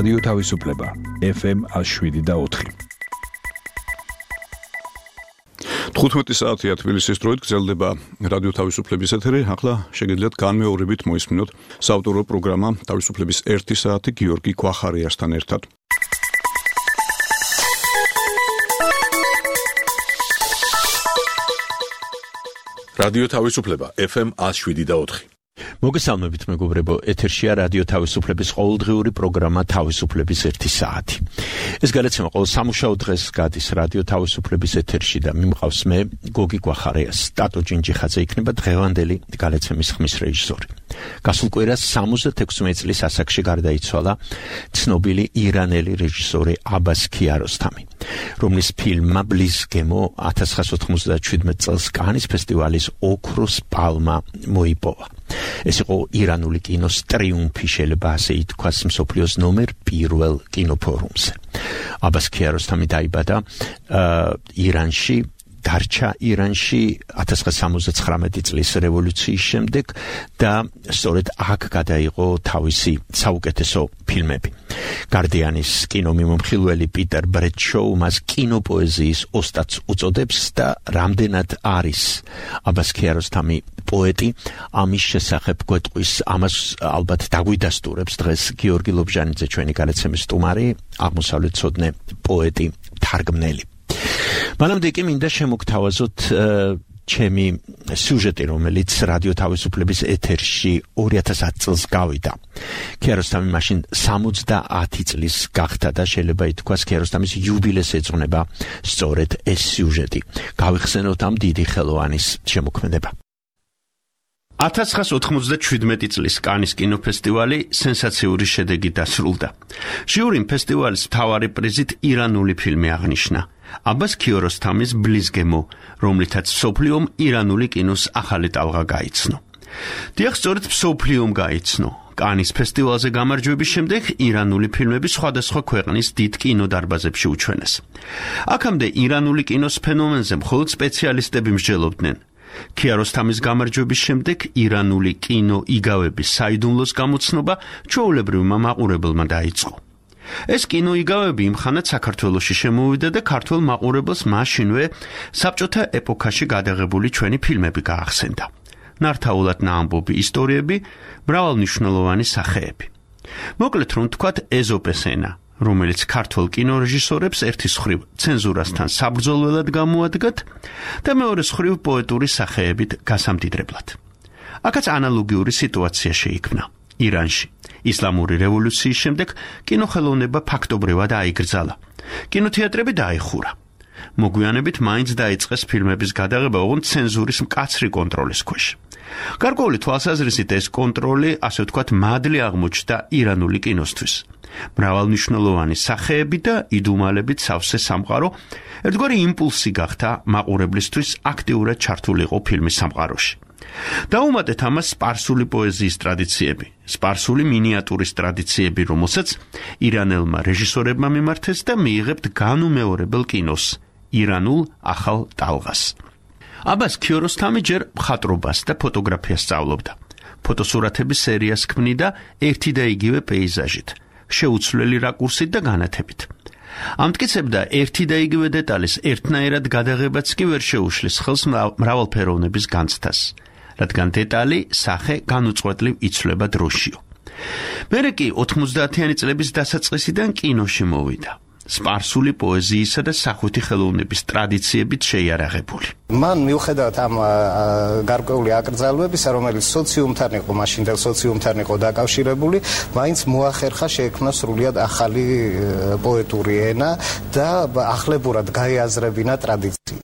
რადიო თავისუფლება FM 107.4. 15 საათია თბილისის დროით გრძელდება რადიო თავისუფლების ეთერი. ახლა შეგიძლიათ განმეორებით მოისმინოთ საავტორო პროგრამა თავისუფლების 1 საათი გიორგი გვახარიასთან ერთად. რადიო თავისუფლება FM 107.4. მოგესალმებით მეგობრებო, ეთერშია რადიო თავისუფლების ყოველდღიური პროგრამა თავისუფლების 1 საათი. ეს გადაცემა ყოველ სამუშაო დღეს გადის რადიო თავისუფლების ეთერში და მიმყავს მე გოგი გვახარიას. სტატო ჯინჯიხაძე იქნება დღევანდელი გადაცემის ხმის რეჟისორი. გასულ კვირას 76 წლის ასაკში გარდაიცვალა ცნობილი ირანელი რეჟისორი აბას ქიაროსთამი, რომლის ფილმმა ბლიზგემო 1997 წელს კანის ფესტივალის ოქროს პალმა მოიპოვა. ეს იყო ირანული კინოს ტრიუმფი, შეიძლება ასე ითქვას, მსოფლიოს ნომერ 1 კინოფორუმზე. აბას ქიაროსთამი დაიბადა ირანში, დარჩა ირანში 1979 წლის რევოლუციის შემდეგ და სწორედ აქ გადაიღო თავისი საუკეთესო ფილმები. გარდიანის კინომიმომხილველი პიტერ ბრედშოუ მას კინოპოეზიის ოსტატს უწოდებს და რამდენად არის აბას ქიაროსთამი პოეტი, ამის შესახებ გვეტყვის, ამას ალბათ დაგვიდასტურებს დღეს გიორგი ლობჟანიძე, ჩვენი გადაცემის სტუმარი, აღმოსავლეთმცოდნე პოეტი, თარგმნელი. მანამდე კი მინდა შემოგთავაზოთ ჩემი სიუჟეტი, რომელიც რადიო თავისუფლების ეთერში 2010 წელს გავიდა. ქიაროსთამი მაშინ 70 წლის გახდა და შეიძლება ითქვას ქიაროსთამის იუბილეს ეძღვნება სწორედ ეს სიუჟეტი. გავიხსენოთ ამ დიდი ხელოვანის შემოქმედება. 1997 წლის კანის კინოფესტივალი სენსაციური შედეგით დასრულდა. ჟიურიმ ფესტივალის მთავარი პრიზით ირანული ფილმი აღნიშნა, აბას ქიაროსთამის ბლიზგემო, რომლითაც მსოფლიომ ირანული კინოს ახალი ტალღა გაიცნო. დიახ, სწორედ მსოფლიომ გაიცნო. კანის ფესტივალზე გამარჯვების შემდეგ ირანული ფილმები სხვადასხვა ქვეყნის დიდ კინოდარბაზებში უჩვენეს. აქამდე ირანული კინოს ფენომენზე მხოლოდ სპეციალისტები მსჯელობდნენ. ქიაროსთამის გამარჯვების შემდეგ ირანული კინო იგავების საიდუმლოს გამოცნობა ჩვეულებრივმა მაყურებელმა დაიწყო. ეს კინო იგავები იმხანად საქართველოში შემოვიდა და ქართველ მაყურებელს მაშინვე საბჭოთა ეპოქაში გადაღებული ჩვენი ფილმები გაახსენდა. ნართაულად ნაამბობი ისტორიები, მრავალმნიშვნელოვანი სახეები. მოკლედ რომ ვთქვათ, ეზოპეს ენა, რომელიც ქართველ კინორეჟისორებს ერთის მხრივ ცენზურასთან საბრძოლველად გამოადგათ და მეორეს მხრივ პოეტური სახეებით გასამდიდრებლად. აქაც ანალოგიური სიტუაცია შეიქმნა. ირანში ისლამური რევოლუციის შემდეგ კინოხელოვნება ფაქტობრივად აიგრძალა. კინოთეატრები დაიხურა. მოგვიანებით მაინც დაიწყეს ფილმების გადაღება, ოღონდ ცენზურის მკაცრი კონტროლის ქვეშ. გარკვეული თვალსაზრისით ეს კონტროლი, ასე ვთქვათ, მადლი აღმოჩნდა ირანული კინოსთვის. მრავალმნიშვნელოვანი სახეები და იდუმალებით სავსე სამყარო ერთგვარი იმპულსი გახდა მაყურებლისთვის აქტიურად ჩართულიყო ფილმის სამყაროში. დაუმატეთ ამას სპარსული პოეზიის ტრადიციები, სპარსული მინიატურის ტრადიციები, რომელსაც ირანელმა რეჟისორებმა მიმართეს და მიიღებთ განუმეორებელ კინოს, ირანულ ახალ ტალღას. აბას ქიაროსთამი ჯერ მხატვრობას და ფოტოგრაფიას სწავლობდა. ფოტოსურათების სერიას ქმნიდა ერთი და იგივე პეიზაჟით, შეუცვლელი რაკურსით და განათებით. ამტკიცებდა ერთი და იგივე დეტალის ერთნაირად გადაღებაც კი ვერ შეუშლის ხელს მრავალფეროვნების განცდას, რადგან დეტალი, სახე განუწყვეტლივ იცვლება დროშიო. მერე კი 90-იანი წლების დასაწყისიდან კინოში მოვიდა. სპარსული პოეზიისა და სახვითი ხელოვნების ტრადიციებით შეიარაღებული. მან მიუხედავად ამ გარკვეული აკრძალვებისა, რომელიც სოციუმთან იყო, მაშინდელ სოციუმთან იყო დაკავშირებული, მაინც მოახერხა შეექმნა სრულიად ახალი პოეტური ენა და ახლებურად გაეაზრებინა ტრადიცია.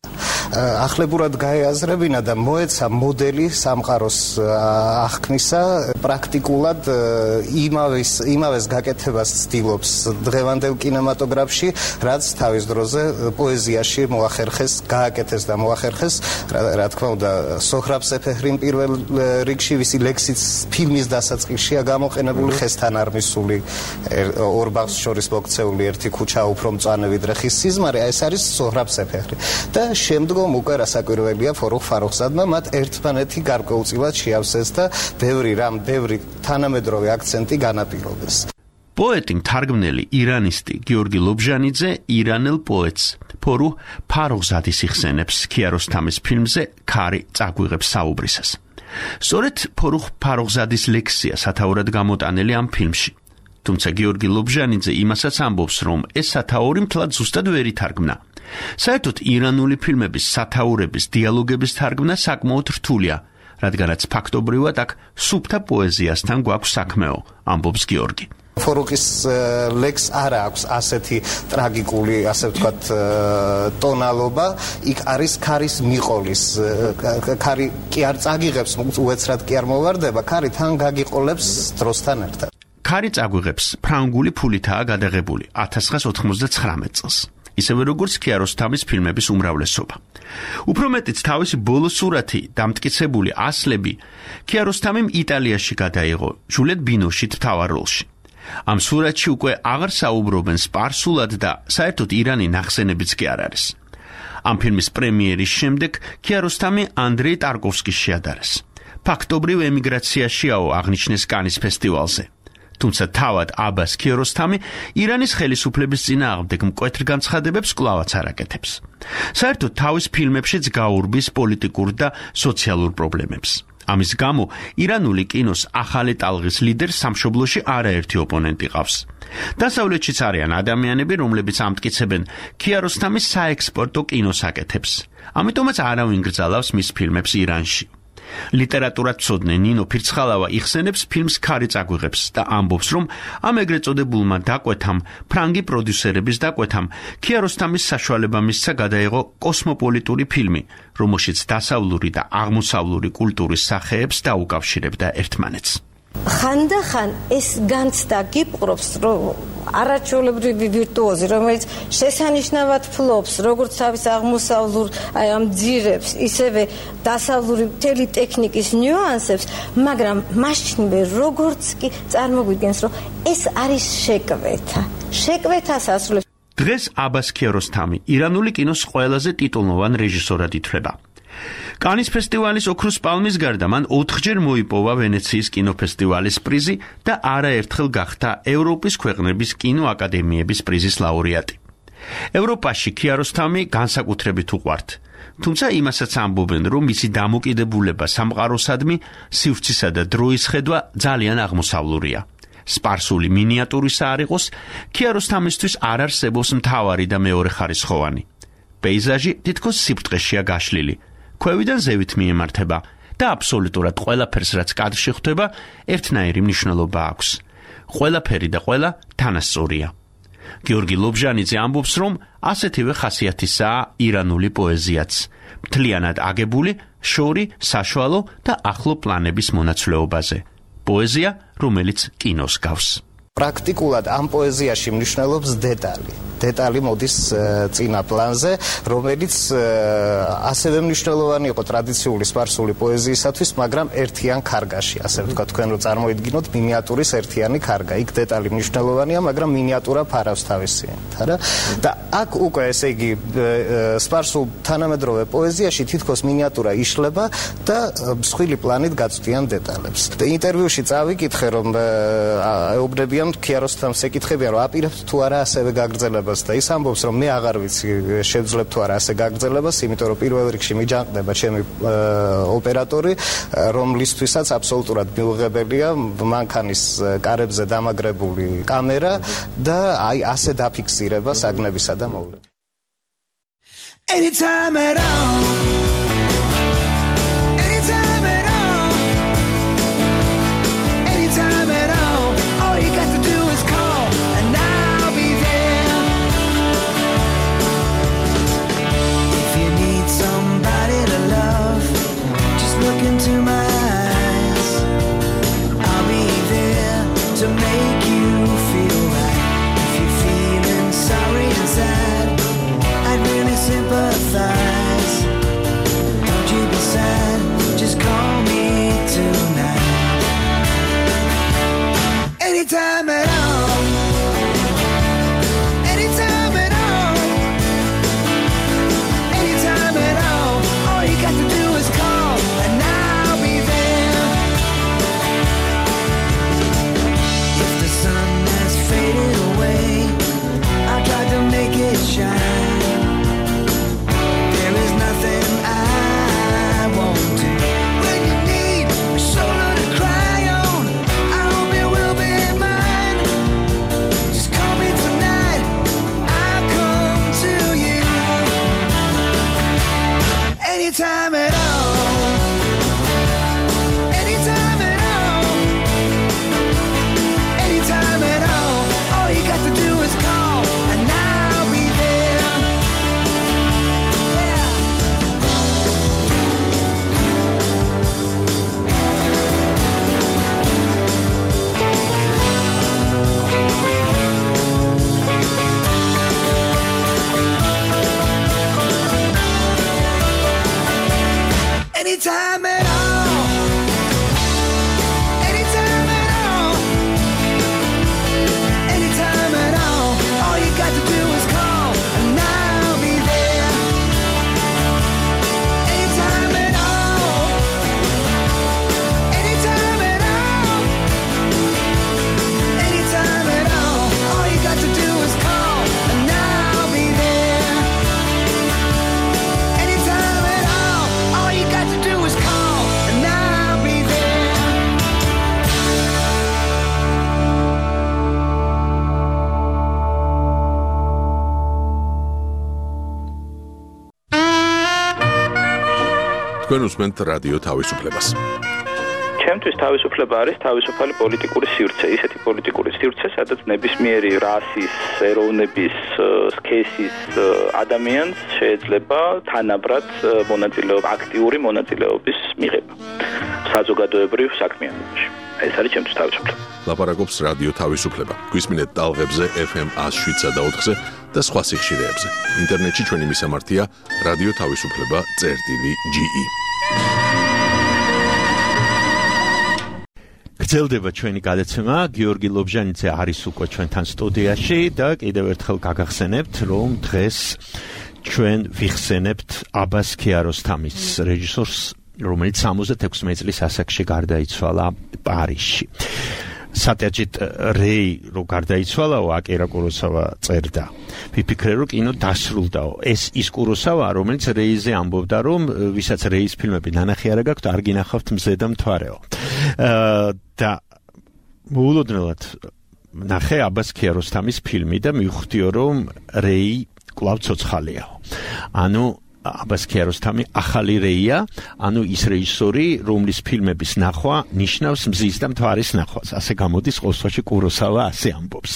ახლებურად გაეაზრებინა და მოეცა მოდელი სამყაროს აღქმისა, პრაქტიკულად იმავეს გაკეთებას ცდილობს დღევანდელ კინემატოგრაფში, რაც თავის დროზე პოეზიაში მოახერხეს, გააკეთეს და მოახერხეს, რა თქმა უნდა, სოჰრაბ სეფეჰრიმ პირველ რიგში, ვისი ლექსიც ფილმის დასაწყისშია გამოყენებული, ხესთან არ მისული ორ ბაღს შორის მოქცეული ერთი ქუჩა უფრო მწვანე ვიდრე ხის სიზმარი, ეს არის სოჰრაბ სეფეჰრი. და შემდგომ უკვე რასაკვირველია ფორუხ ფარუხზადმა მათ ერთმანეთი გარკვეულწილად შეავსეს და ბევრი თანამედროვე აქცენტი განაპირობეს. პოეტი მთარგმნელი ირანისტი გიორგი ლობჟანიძე ირანელ პოეტს ფორუჰ ფაროღზადის იხსენებს ქიაროსთამის ფილმზე ქარი წაგვიღებს საუბრისას. სწორედ ფორუჰ ფაროღზადის ლექსია სათაურად გამოტანილი ამ ფილმში. თუმცა გიორგი ლობჟანიძე იმასაც ამბობს, რომ ეს სათაური მთლად ზუსტად ვერ ითარგმნა. საერთოდ ირანული ფილმების სათაურების დიალოგების თარგმნა საკმაოდ რთულია, რადგანაც ფაქტობრივად აქ სუფთა პოეზიასთან გვაქვს საქმეო, ამბობს გიორგი. ფორუჰის ლექს არ აქვს ასეთი ტრაგიკული, ასე ვთქვათ, ტონალობა, იქ არის ქარის მიყოლის, ქარი კი არ წაგიღებს, უეცრად კი არ მოვარდება, ქარი თან გაგიყოლებს დროსთან ერთად. ქარი წაგვიღებს ფრანგული ფულითაა გადაღებული 1999 წელს. ისევე როგორც ქიაროსთამის ფილმების უმრავლესობა. უფრო მეტიც თავისი ბოლო სურათი დამტკიცებული ასლები ქიაროსთამიმ იტალიაში გადაიღო ჟულეთ ბინოშით მთავარ როლში. ამ სურათში უკვე აღარ საუბრობენ სპარსულად და საერთოდ ირანი ნახსენებიც კი არ არის. ამ ფილმის პრემიერის შემდეგ ქიაროსთამი ანდრეი ტარკოვსკის შეადარეს. ფაქტობრივ ემიგრაციაშიაო აღნიშნეს კანის ფესტივალზე. თუმცა თავად აბას ქიაროსთამი ირანის ხელისუფლების წინააღმდეგ მკვეთრ განცხადებებს კვლავაც არ აკეთებს. საერთოდ თავის ფილმებშიც გაურბის პოლიტიკურ და სოციალურ პრობლემებს. ამის გამო ირანული კინოს ახალი ტალღის ლიდერს სამშობლოში არაერთი ოპონენტი ყავს. დასავლეთშიც არიან ადამიანები, რომლებიც ამტკიცებენ ქიაროსთამის საექსპორტო კინოს აკეთებს. ამიტომაც არავინ გრძალავს მის ფილმებს ირანში. ლიტერატურათმცოდნე ნინო ფირცხალავა იხსენებს ფილმს ქარი წაგვიღებს და ამბობს, რომ ამ ეგრეთ წოდებულმა დაკვეთამ, ფრანგი პროდიუსერების დაკვეთამ, ქიაროსთამის საშუალება მისცა გადაიღო კოსმოპოლიტური ფილმი, რომელშიც დასავლური და აღმოსავლური კულტურის სახეებს დაუკავშირებდა ერთმანეთს. ხანდახან ეს განცდა გიპყრობს, რომ არაჩვეულებრივი ვირტუოზი, რომელიც შესანიშნავად ფლობს, როგორც თავის აღმოსავლურ ამ ძირებს, ისევე დასავლური მთელი ტექნიკის ნიუანსებს, მაგრამ მაშინვე როგორც კი წარმოგვიდგენს, რომ ეს არის შეკვეთა. შეკვეთას ასრულებს. დღეს აბას ქიაროსთამი ირანული კინოს ყველაზე ტიტულოვან რეჟისორად ითვლება. კანის ფესტივალის ოქროს პალმის გარდა მან 4-ჯერ მოიპოვა ვენეციის კინოფესტივალის პრიზი და არაერთხელ გახდა ევროპის ქვეყნების კინოაკადემიების პრიზის ლაურეატი. ევროპაში ქიაროსთამი განსაკუთრებით უყვართ, თუმცა იმასაც ამბობენ, რომ მისი დამოკიდებულება სამყაროსადმი, სივრცისა და დროის ხედვა ძალიან აღმოსავლურია. სპარსული მინიატურისა არ იყოს, ქიაროსთამისთვის არ არსებობს მთავარი და მეორე ხარისხოვანი. პეიზაჟი თითქოს სიბრტყეშია გაშლილი. ქვევიდან ზევით მიემართება და აბსოლუტურად ყველაფერს, რაც კადრში ხვდება, ერთნაირი მნიშვნელობა აქვს. ყველაფერი და ყველა თანასწორია. გიორგი ლობჟანიძე ამბობს, რომ ასეთივე ხასიათისაა ირანული პოეზიაც. მთლიანად აგებული, შორი, საშუალო და ახლო პლანების მონაცვლეობაზე. პოეზია, რომელიც კინოს გავს. პრაქტიკულად ამ პოეზიაში მნიშვნელობს დეტალი. დეტალი მოდის წინა პლანზე, რომელიც ასევე მნიშვნელოვანი იყო ტრადიციული სპარსული პოეზიისათვის, მაგრამ ერთიან ქარგაში, ასე ვთქვათ, თქვენ რო წარმოიდგინოთ მინიატურის ერთიანი ქარგა. იქ დეტალი მნიშვნელოვანია, მაგრამ მინიატურა ფარავს თავისიანად, არა? და აქ უკვე, ესე იგი, სპარსულ თანამედროვე პოეზიაში თითქოს მინიატურა იშლება და მსხვილი პლანით გაწვდიან დეტალებს. ინტერვიუში წავიკითხე, რომ ეუბნებიან ქიაროსთამს ეკითხებიან, რომ აპირებთ თუ არა ასევე გაგრძელებას და ის ამბობს, რომ მე აღარ ვიცი შევძლებ თუ არა ასე გაგრძელებას, იმიტომ რომ პირველ რიგში მიჯანყდება ჩემი ოპერატორი, რომლისთვისაც აბსოლუტურად მიუღებელია მანქანის კარებზე დამაგრებული კამერა და აი ასე დაფიქსირება საგნებისა და მოვლენების. Anytime at all. Into my eyes, I'll be there to make you feel right. If you're feeling sorry and sad, I'd really sympathize. თქვენ უსმენთ რადიო თავისუფლებას. ჩემთვის თავისუფლება არის თავისუფალი პოლიტიკური სივრცე, ისეთი პოლიტიკური სივრცე, სადაც ნებისმიერი რასის, ეროვნების, სქესის ადამიანს შეიძლება თანაბრად აქტიური მონაწილეობის მიღება საზოგადოებრივ საქმიანობაში. ეს არის ჩემთვის თავისუფლება. ლაპარაკობს რადიო თავისუფლება. გვისმინეთ ტალღებზე FM 107.4-ზე და სხვა სიხშირეებზე. ინტერნეტში ჩვენი მისამართია რადიო თავისუფლება.ge. გრძელდება ჩვენი გადაცემა. გიორგი ლობჟანიძე არის უკვე ჩვენთან სტუდიაში და კიდევ ერთხელ გაგახსენებთ, რომ დღეს ჩვენ ვიხსენებთ აბას ქიაროსთამის რეჟისორს, რომელიც 66 წლის ასაკში გარდაიცვალა პარიზში. სატეაჯით რეი რო გარდაიცვალაო, აკირა კუროსავა წერდა. ვიფიქრე რომ კინო დასრულდაო. ეს ის კუროსავა, რომელიც რეიზე ამბობდა, რომ ვისაც რეის ფილმები ნანახი არა გაქვთ, არ გინახავთ მზე და მთვარეო. და მოულოდნელად ნახე აბას ქიაროსთამის ფილმი და მივხვდიო, რომ რეი კვლავ ცოცხალიაო. ანუ აბას ქიაროსთამი ახალი რეია, ანუ ის რეჟისორი, რომლის ფილმების ნახვა ნიშნავს მზის და მთვარის ნახვას. ასე გამოდის ყოველთვის კუროსავა ასე ამბობს.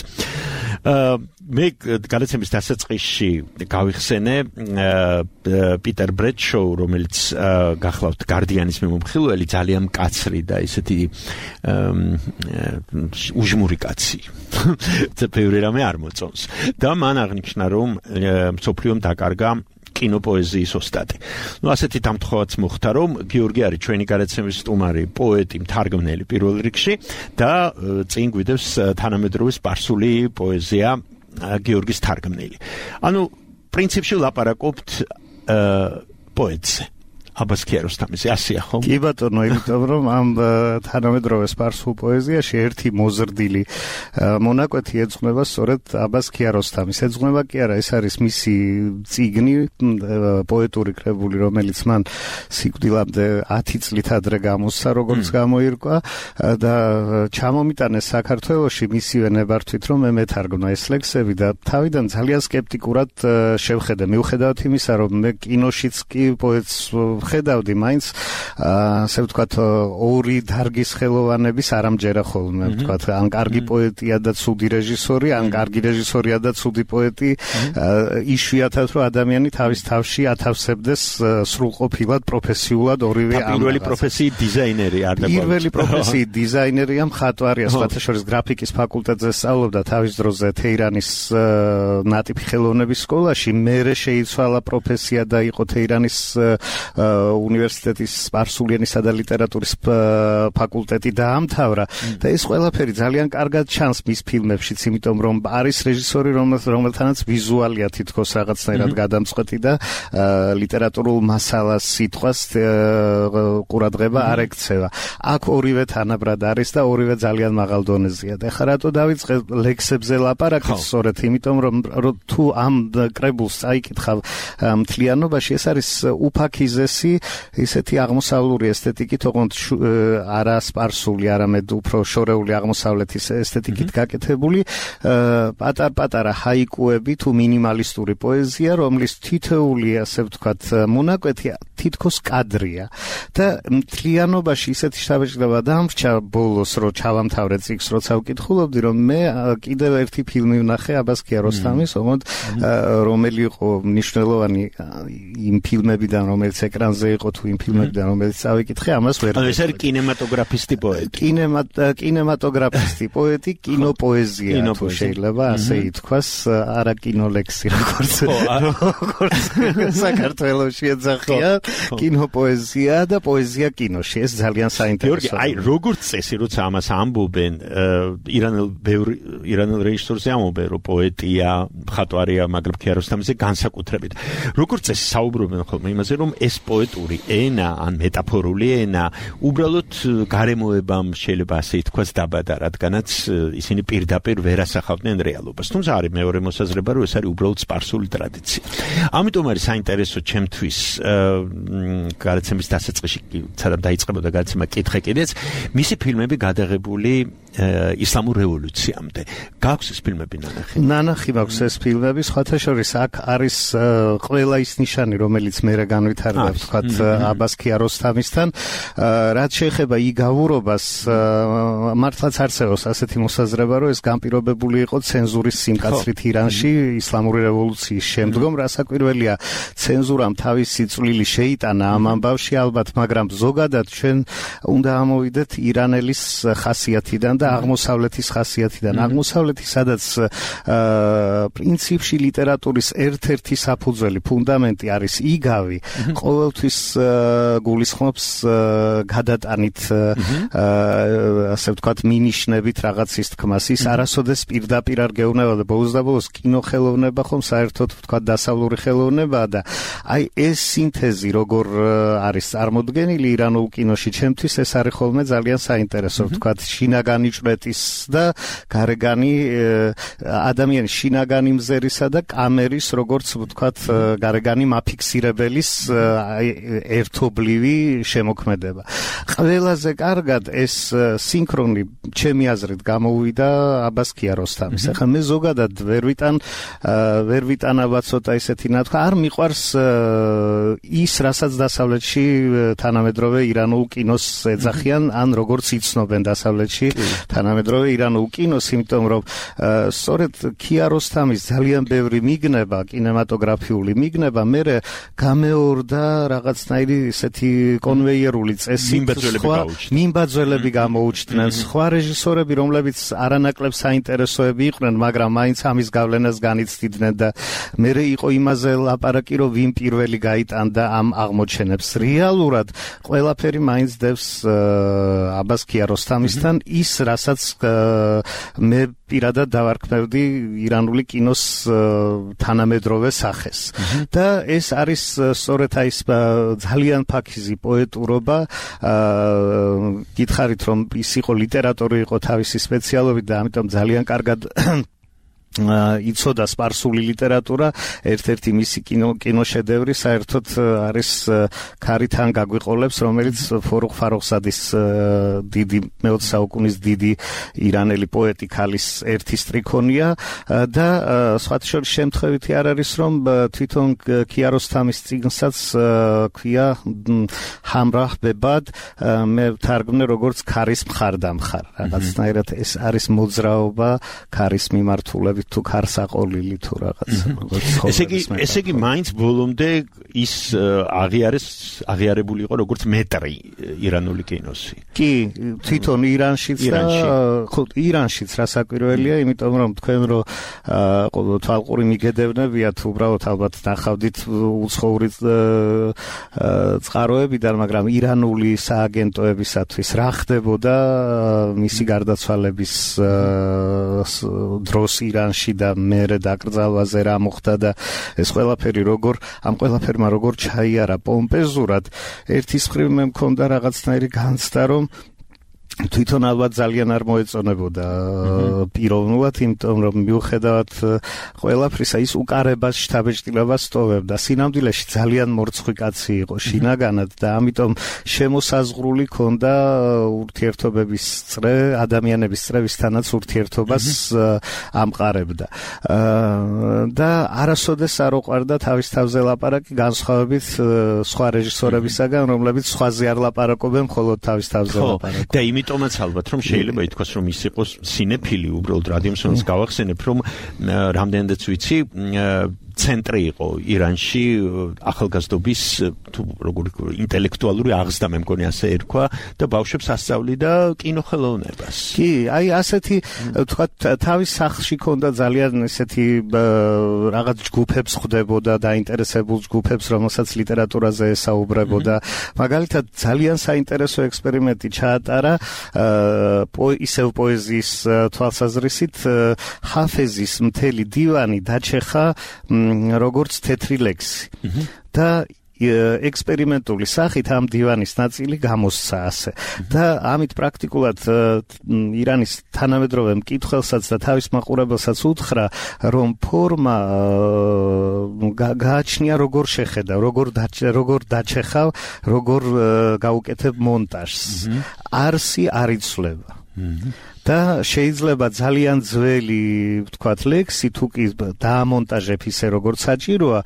მე გადაცემის დასაწყისში გავიხსენე პიტერ ბრედშოუ, რომელიც გახლავთ გარდიანის მიმომხილველი, ძალიან მკაცრი და ესეთი უჟმური კაცი. ბევრი რამე არ მოწონს. და მან აღნიშნა, რომ მსოფლიომ დაკარგა კინოპოეზიის ოსტატი. ასეთი დამთხოვაც მოხდა, რომ გიორგი არის ჩვენი გადაცემის სტუმარი, პოეტი, მთარგმნელი პირველ რიგში და წინ გვიდევს თანამედროვე სპარსული პოეზია გიორგის თარგმნილი. ანუ პრინციპში ლაპარაკობთ პოეტზე. აბას ქიაროსთამის ასია ხო? კი ბატონო, იმიტომ რომ ამ თანამედროვე სპარსულ პოეზიაში ერთი მოზრდილი მონაკვეთი ეძღვნება სწორედ აბას ქიაროსთამის. ეძღვნება კი არა, ეს არის მისი წიგნი, პოეტური კრებული, რომელიც მან სიკვდილამდე 10 წლით ადრე გამოსცა, როგორც გამოირკვა და ჩამომიტანეს საქართველოში მისივე ნებართვით, რომ მე მეთარგმნა ეს ლექსები და თავიდან ძალიან სკეპტიკურად შევხედე. მიუხედავად იმისა, რომ მე კინოშიც კი პოეტს ხედავდი, მაინც ასე ვთქვათ, ორი დარგის ხელოვანების არ ამჯერა ხოლმე, ვთქვათ, ან კარგი პოეტია და ცუდი რეჟისორი, ან კარგი რეჟისორია და ცუდი პოეტი, იშვიათად რომ ადამიანი თავის თავში ათავსებდეს სრულყოფილად, პროფესიულად ორივე ამ. პირველი პროფესიით დიზაინერი არ და პირველი პროფესიით დიზაინერია, მხატვარია, სხვათა შორის გრაფიკის ფაკულტეტზე სწავლობდა თავის დროზე თეირანის ნატიფი ხელოვნების სკოლაში, მერე შეიცვალა პროფესია და იყო თეირანის უნივერსიტეტის სპარსული ენისა და ლიტერატურის ფაკულტეტი დაამთავრა და ეს ყველაფერი ძალიან კარგად ჩანს მის ფილმებშიც, იმიტომ რომ არის რეჟისორი, რომელთანაც ვიზუალია თითქოს რაღაცნაირად გადამწყვეტი და ლიტერატურულ მასალას სიტყვას ყურადღება არ ექცევა. აქ ორივე თანაბრად არის და ორივე ძალიან მაღალ დონეზეა. და ხა რატო დავიწყე ლექსებზე ლაპარაკი? სწორედ იმიტომ რომ თუ ამ კრებულს წაიკითხავ მთლიანობაში, ეს არის უფაქიზესი ისეთი აღმოსავლური ესთეტიკით, ოღონდ არა სპარსული, არამედ უფრო შორეული აღმოსავლეთის ესთეტიკით გაკეთებული პატარ-პატარა ჰაიკუები თუ მინიმალისტური პოეზია, რომლის თითოეული, ასე ვთქვათ, მონაკვეთი თითქოს კადრია და მთლიანობაში ისეთი შთაბეჭდილება დამრჩა ბოლოს, რომ ჩავამთავრე წიგნს, როცა ვკითხულობდი, რომ მე კიდევ ერთი ფილმი ვნახე აბას ქიაროსთამის, ოღონდ რომელი იყო მნიშვნელოვანი იმ ფილმებიდან, რომელიც ეკრანზე იყო თუ იმ ფილმებიდან, რომელიც წავიკითხე, ამას ვერ. ეს არის კინემატოგრაფისტი პოეტი. კინემატოგრაფისტი პოეტი, კინოპოეზია, თუ შეიძლება ასე ითქვას, არა კინოლექსი, როგორც საქართველოში ეძახიან, კინოპოეზია და პოეზია კინოში. ეს ძალიან საინტერესოა. აი, როგორც წესი, როცა ამას ამბობენ, ირანელ რეჟისორზე ამბობენ, რომ პოეტია, მხატვარია, მაგრამ ქიაროსთამიზე განსაკუთრებით. როგორც წესი საუბრობენ ხოლმე იმაზე, რომ ეს პოეტური ენა, ან მეტაფორული ენა, უბრალოდ გარემოებამ შეიძლება ასე ითქვას დაბადა, რადგანაც ისინი პირდაპირ ვერ ასახავდნენ რეალობას. თუმცა არის მეორე მოსაზრება, რომ ეს არის უბრალოდ სპარსული ტრადიცია. ამიტომ არის საინტერესო ჩემთვის გადაცემის დასაწყისში, სადაც დაიწყებოდა გადაცემა კითხე კიდეც, მისი ფილმები გადაღებული ისლამურ რევოლუციამდე. გაქვს ეს ფილმები ნანახი? ნანახი მაქვს ეს ფილმები, სხვათა შორის აქ არის ყველა ის ნიშანი, რომელიც მე განვითარდა ვთქვათ, აბას ქიაროსთამისთან. რაც შეეხება იგავურობას, მართლაც არსებობს ასეთი მოსაზრება, რომ ეს განპირობებული იყო ცენზურის სიმკაცრით ირანში ისლამური რევოლუციის შემდგომ, რასაკვირველია, ცენზურამ თავისი წვლილი შეიტანა ამ ამბავში ალბათ, მაგრამ ზოგადად ჩვენ უნდა ამოვიდეთ ირანელის ხასიათიდან და აღმოსავლეთის ხასიათიდან. აღმოსავლეთი, სადაც პრინციპში ლიტერატურის ერთ-ერთი საფუძველი, ფუნდამენტი არის იგავი, ყოველთვის გულისხმობს გადატანით, ასე ვთქვათ, მინიშნებით რაღაცის თქმას. ის არასოდეს პირდაპირ არ გეუბნება, ბოლოს და ბოლოს კინოხელოვნება ხომ საერთოდ ვთქვათ დასავლური ხელოვნებაა და აი ეს სინთეზი როგორ არის წარმოდგენილი ირანულ კინოში, ჩემთვის ეს არის ხოლმე ძალიან საინტერესო, ვთქვათ, შინაგანი ჭვრეტის და გარეგანი ადამიანის შინაგანი მზერისა და კამერის, როგორც ვთქვათ, გარეგანი მაფიქსირებელის ერთობლივი შემოქმედება. ყველაზე კარგად ეს სინქრონი ჩემი აზრით გამოუვიდა აბას ქიაროსთამის. ახლა მე ზოგადად ვერ ვიტანა ცოტა ისეთი ნათქვა, არ მიყვარს ის, რასაც დასავლეთში თანამედროვე ირანულ კინოს ეძახიან, ან როგორც იცნობენ დასავლეთში თანამედროვე ირანულ კინოს, იმიტომ რომ სწორედ ქიაროსთამის ძალიან ბევრი მიგნება, კინემატოგრაფიული მიგნება მერე გამეორდა რაღაცნაირი ესეთი კონვეიერული წესით, მიმბაძველები გამოუჩნდნენ, სხვა რეჟისორები, რომლებიც არანაკლებ საინტერესოები იყვნენ, მაგრამ მაინც ამის გავლენას განიცდიდნენ და მერე იყო იმაზე ლაპარაკი, რომ ვინ პირველი გაიტანდა ამ აღმოჩენებს. რეალურად ყველაფერი მაინც დევს აბას ქიაროსთამისთან ის, რასაც მე პირადად დავარქმევდი ირანული კინოს თანამედროვე სახეს. და ეს არის სწორედ აი ძალიან ფაქიზი პოეტურობა. გითხარით, რომ ის იყო ლიტერატორი, იყო თავისი სპეციალობით და ამიტომ ძალიან კარგად იცოდა სპარსული ლიტერატურა. ერთ-ერთი მისი კინოშედევრი საერთოდ არის ქარიდან გაგვიყოლებს, რომელიც ფორუღ ფაროხსადის დიდი მე-20 საუკუნის დიდი ირანელი პოეტი ქალის ერთი სტრიქონია და სხვათა შორის შემთხვევითი არ არის, რომ თვითონ ქიაროსთამის წიგნსაც ქვია ჰამრაჰ ბებად, მე ვთარგმნე როგორც ქარის მხარდამხარ. რაღაცნაირად ეს არის მოძრაობა ქარის მიმართულებით თუ ქარსაყოლილი თუ რაღაც. ესე იგი მაინც ბოლომდე ის აღიარებული იყო როგორც მეტრი ირანული კინოსი. კი, თვითონ ირანშიც და ხო ირანშიც რასაკვირველია, იმიტომ რომ თქვენ რომ თვალყური მიგედევნებიათ, უბრალოდ ალბათ ნახავდით უცხოური წყაროებიდან, მაგრამ ირანული სააგენტოებისათვის რა ხდებოდა მისი გარდაცვალების დროს ირანში და მერე დაკრძალვაზე რა მოხდა და ეს ყველაფერი ამ ყველაფერმა როგორ ჩაიარა პომპეზურად. ერთის მხრივ მე მქონდა რაღაცნაირი განცდა, რომ თვითონ ალბათ ძალიან არ მოეწონებოდა პიროვნულად, იმიტომ რომ მიუხედავად ყველაფრისა ის უკარებას, შთაბეჭდილებას ტოვებდა. სინამდვილეში ძალიან მორცხვი კაცი იყო შინაგანად და ამიტომ შემოსაზღვრული ქონდა ურთიერთობების წრე, ადამიანების წრევისთანაც ურთიერთობას ამყარებდა. და არასოდეს არ უყვარდა თავის თავზე ლაპარაკი, განსხვავებით სხვა რეჟისორებისაგან, რომლებიც სხვაზე არ ლაპარაკობენ, მხოლოდ თავის თავზე ლაპარაკობენ. და იმიტომაც ალბათ რომ შეიძლება ითქვას, რომ ის იყოს სინეფილი, უბრალოდ რადიომსონს გავახსენებ, რომ რამდენადაც ვიცი, ცენტრი იყო ირანში ახალგაზრდობის თუ როგორი ინტელექტუალური აღზრდა, მე მგონი ასე ერქვა და ბავშვებს ასწავლიდა კინოხელოვნებას. კი, აი ასეთი ვთქვათ, თავის სახლში ქონდა ძალიან ესეთი რაღაც ჯგუფებს ხვდებოდა, დაინტერესებულ ჯგუფებს, რომელსაც ლიტერატურაზე ესაუბრებოდა. მაგალითად, ძალიან საინტერესო ექსპერიმენტი ჩაატარა ისევ პოეზიის თვალსაზრისით, ჰაფეზის მთელი დივანი დაჩეხა როგორც თეთრი ლექსი. და ექსპერიმენტული სახით ამ დივანის ნაწილი გამოსცა ასე. და ამით პრაქტიკულად ირანის თანამედროვე მკითხველსაც და თავის მაყურებელსაც უთხრა, რომ ფორმა გააჩნია როგორ შეხედა, როგორ დაჩეხავ, როგორ გაუკეთებ მონტაჟს. არსი არ იცვლება. და შეიძლება ძალიან ძველი ვთქვათ ლექსი თუ კი დაამონტაჟებ ისე როგორც საჭიროა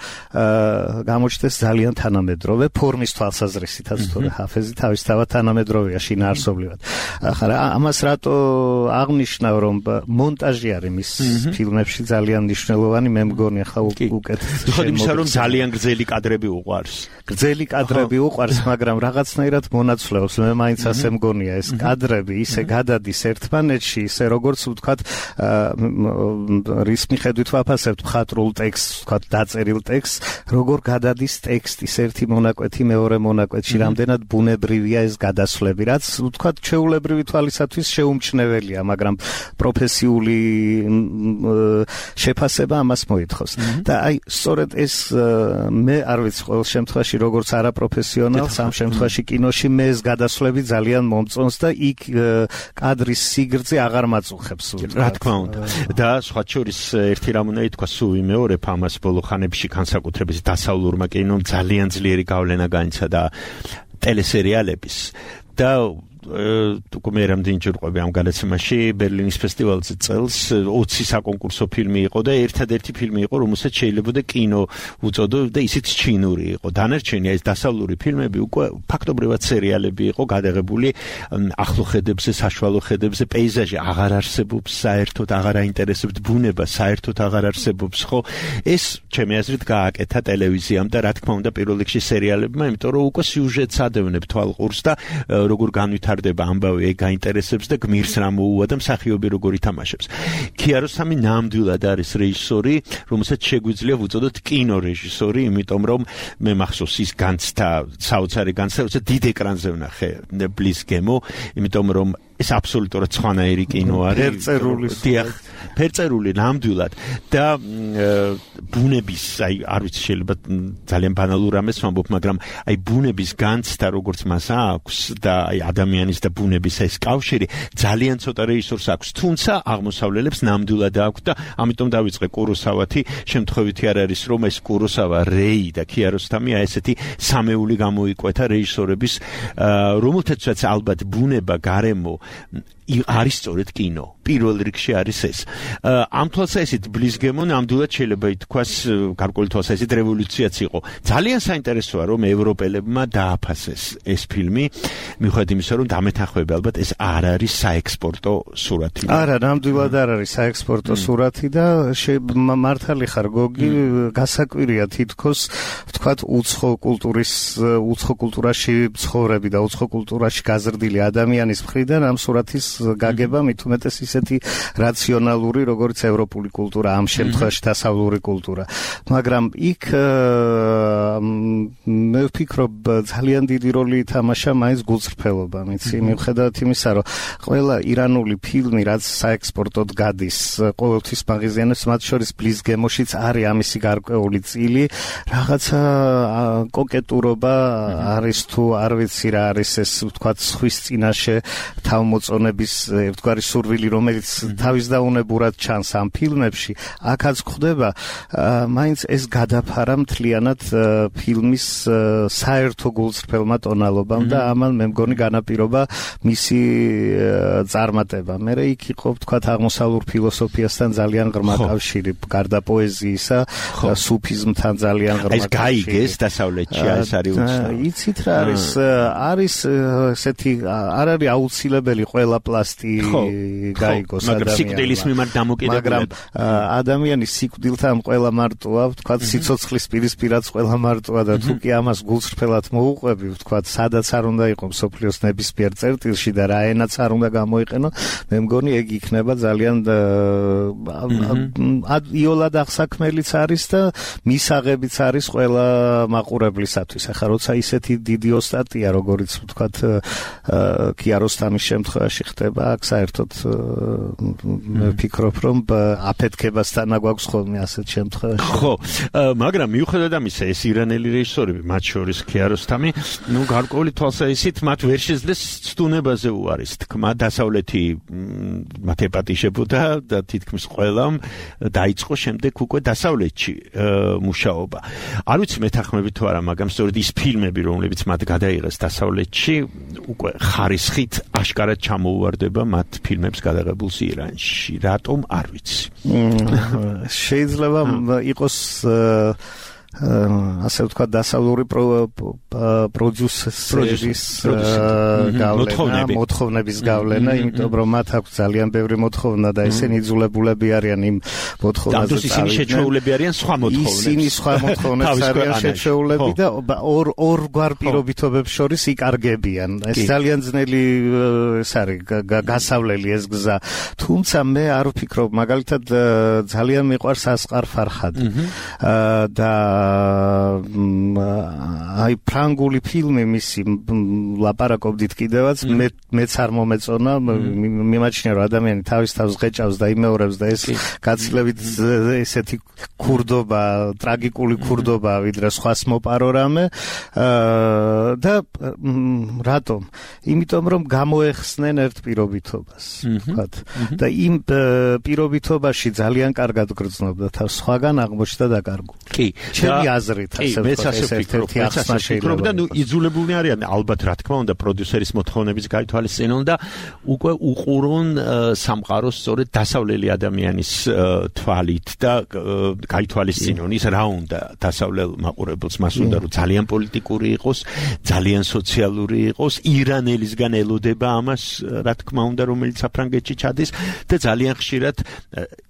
გამოჩნდეს ძალიან თანამედროვე ფორმის თვალსაზრისითაც თორე ჰაფეზი თავისთავად თანამედროვეა შინაარსობრივად. ახლა ამას რატო აღნიშნავ რომ მონტაჟი არის მის ფილმებში ძალიან მნიშვნელოვანი მე მგონი ახლა უკეთ ხოდი მისა რომ ძალიან გრძელი კადრები უყვარს. გრძელი კადრები უყვარს მაგრამ რაღაცნაირად მონაცვლეობს მე მაინც ასე მგონია ეს კადრები ისე გადადის ერთმანეთში ისე როგორც ვთქვათ რის მიხედვით ვაფასებთ მხატვრულ ტექსტს ვთქვათ დაწერილ ტექსტს როგორ გადადის ტექსტის ერთი მონაკვეთი მეორე მონაკვეთში რამდენად ბუნებრივია ეს გადასვლები რაც ვთქვათ ჩვეულებრივი თვალისათვის შეუმჩნეველია მაგრამ პროფესიული შეფასება ამას მოითხოვს და აი სწორედ ეს მე არ ვიცი ყოველ შემთხვევაში როგორც არაპროფესიონალს ამ შემთხვევაში კინოში მე ეს გადასვლები ძალიან მომწონს და იქ კადრის სიგრძე აღარ მაწუხებს რა თქმა უნდა და სხვა შორის ერთი რამ უნდა ითქვა სულ ვიმეორებ ამას ბოლო ხანებში განსაკუთრებით დასავლურმა კინომ ძალიან ძლიერი გავლენა განიცადა ტელესერიალების და თუ მე რამდენი ჯერ ყვები ამ გადაცემაში ბერლინის ფესტივალზე წელს 20 საკონკურსო ფილმი იყო და ერთადერთი ფილმი იყო რომელსაც შეიძლება კინო უწოდო და ისიც ჩინური იყო დანარჩენი ეს დასავლური ფილმები უკვე ფაქტობრივად სერიალები იყო გადაღებული ახლო ხედებზე საშუალო ხედებზე პეიზაჟი აღარ არსებობს საერთოდ აღარ აინტერესებთ ბუნება საერთოდ აღარ არსებობს ხო ეს ჩემი აზრით გააკეთა ტელევიზიამ და რა თქმა უნდა პირველ რიგში სერიალებმა იმიტომ რომ უკვე სიუჟეტს ადევნებ თვალყურს და როგორ განვითარდება ამბავი ეგ გაინტერესებს და გმირს რა მოუვა და მსახიობი როგორ ითამაშებს. ქიაროსამი ნამდვილად არის რეჟისორი, რომელსაც შეგვიძლია ვუწოდოთ კინორეჟისორი, იმიტომ რომ მე მახსოვს ის განცდა, საოცარი განცდა, როცა დიდ ეკრანზე ვნახე ბლის გემო, იმიტომ რომ ეს აბსოლუტურად სხვანაირი კინო არის. ფერწერული ნამდვილად და ბუნების აი არ ვიცი შეიძლება ძალიან ბანალურ ამას ვამბობ მაგრამ აი ბუნების განცდა როგორც მას აქვს და აი ადამიანის და ბუნების ეს კავშირი ძალიან ცოტა რეჟისორს აქვს თუმცა აღმოსავლელებს ნამდვილად აქვს და ამიტომ დავიწყე კუროსავათი შემთხვევითი არ არის რომ ეს კუროსავა რეი და ქიაროსთამია ესეთი სამეული გამოიკვეთა რეჟისორების რომელთაცაც ალბათ ბუნება გარემო არის სწორედ კინო. პირველ რიგში არის ეს. ამ თვალსაზრისით ბლის გემო ნამდვილად შეიძლება ითქვას გარკვეული თვალსაზრისით რევოლუციაც იყო. ძალიან საინტერესოა რომ ევროპელებმა დააფასეს ეს ფილმი, მიუხედავად იმისა რომ დამეთანხმები ალბათ ეს არ არის საექსპორტო სურათი. არა, ნამდვილად არ არის საექსპორტო სურათი და მართალი ხარ გოგი, გასაკვირია თითქოს ვთქვათ უცხო კულტურაში ცხოვრები და უცხო კულტურაში გაზრდილი ადამიანის მხრიდან ამ სურათის გაგება მით უმეტეს ისეთი რაციონალური როგორც ევროპული კულტურა ამ შემთხვევაში დასავლური კულტურა მაგრამ იქ მე ვფიქრობ ძალიან დიდი როლი ითამაშა მაინც გულწრფელობა მიცი მიუხედავად იმისა რომ ყველა ირანული ფილმი რაც საექსპორტოდ გადის ყოველთვის მაღაზიანებს მათ შორის ბლის გემოშიც არის ამისი გარკვეული წილი რაღაცა კოკეტურობა არის თუ არ ვიცი რა არის ეს ვთქვათ სხვის წინაშე თავმოწონების ერთგვარი სურვილი რომელიც თავის დაუნებურად ჩანს ამ ფილმებში აქაც გვხდება მაინც ეს გადაფარა მთლიანად ფილმის საერთო გულწრფელმა ტონალობამ და ამან მე მგონი განაპირობა მისი წარმატება მე იქ იყო ვთქვათ აღმოსავლურ ფილოსოფიასთან ძალიან ღრმა კავშირი გარდა პოეზიისა სუფიზმთან ძალიან ღრმა კავშირი ეს გაიგეს დასავლეთში ეს არის უცნაური იცით რა არის ესეთი არ არის აუცილებელი ყველა პლასტი გაიგოს სიკვდილის მიმართ დამოკიდებული მაგრამ ადამიანის სიკვდილთან ყველა მარტოა ვთქვათ სიცოცხლის პირისპირაც ყველა მარტოა და თუ კი ამას გულწრფელად მოუყვები ვთქვათ სადაც არ უნდა იყოს სოფლიოს ნებისმიერ წერტილში და რა ენაც არ უნდა გამოიყენო მე მგონი ეგ იქნება ძალიან იოლად აღსაქმელიც არის და მისაღებიც არის ყველა მაყურებლისათვის ახლა როცა ისეთი დიდი ოსტატია როგორიც ვთქვათ ქიაროსთამის შემთხვევაში ხდება აქ საერთოდ მე ვფიქრობ რომ აფეთქებასთან აგვაქვს ხოლმე ასეთ შემთხვევაში ხო მაგრამ მიუხედავად ამისა ეს ირანელი რეჟისორები, მათ შორის ქიაროსთამი, გარკვეული თვალსაზრისით მათ ვერ შეძლეს ცდუნებაზე უარის თქმა, დასავლეთი მათ ეპატიშებოდა და თითქმის ყველამ დაიწყო შემდეგ უკვე დასავლეთში მუშაობა. არ ვიცი მეთანხმები თუ არა, მაგრამ სწორედ ის ფილმები, რომლებიც მათ გადაიღეს დასავლეთში, უკვე ხარისხით აშკარად ჩამოუვარდება მათ ფილმებს გადაღებულს ირანში. რატომ არ ვიცი. შეიძლება იყოს ასე ვთქვათ დასავლური პროდიუსერის მოთხოვნების გავლენა, იმიტომ რომ მათ აქვს ძალიან ბევრი მოთხოვნა და ისინი იძულებულები არიან იმ მოთხოვნაზე წავიდნენ. ისინი შეჩეულები არიან სხვა მოთხოვნებს. ისინი სხვა მოთხოვნებს არიან შეჩეულები და ორგვარ პირობითობებს შორის იკარგებიან. ეს ძალიან ძნელი ეს არის გასავლელი ეს გზა. თუმცა მე არ ვფიქრობ, მაგალითად ძალიან მიყვარს ასყარ ფარხადი და აი ფრანგული ფილმი მისი ლაპარაკობდით კიდევაც მეც არ მომეწონა, მიმაჩნია რომ ადამიანი თავის თავს ღეჭავს და იმეორებს და ეს გაცილებით ესეთი ქურდობა, ტრაგიკული ქურდობა ვიდრე სხვას მოპარო რამე და რატომ? იმიტომ რომ გამოეხსნენ ერთ პირობითობას, ვთქვათ. და იმ პირობითობაში ძალიან კარგად გრძნობდა თავს, სხვაგან აღმოჩნდა დაკარგული. კი, ჩემი აზრით ასე ვფიქრობ და იძულებული არიან ალბათ რა თქმა უნდა პროდიუსერის მოთხოვნების გაითვალისწინონ და უკვე უყურონ სამყაროს სწორედ დასავლელი ადამიანის თვალით და გაითვალისწინონ ის რა უნდა დასავლელ მაყურებელს, მას უნდა რომ ძალიან პოლიტიკური იყოს, ძალიან სოციალური იყოს, ირანელისგან ელოდება ამას რა თქმა უნდა რომელიც საფრანგეთში ჩადის და ძალიან ხშირად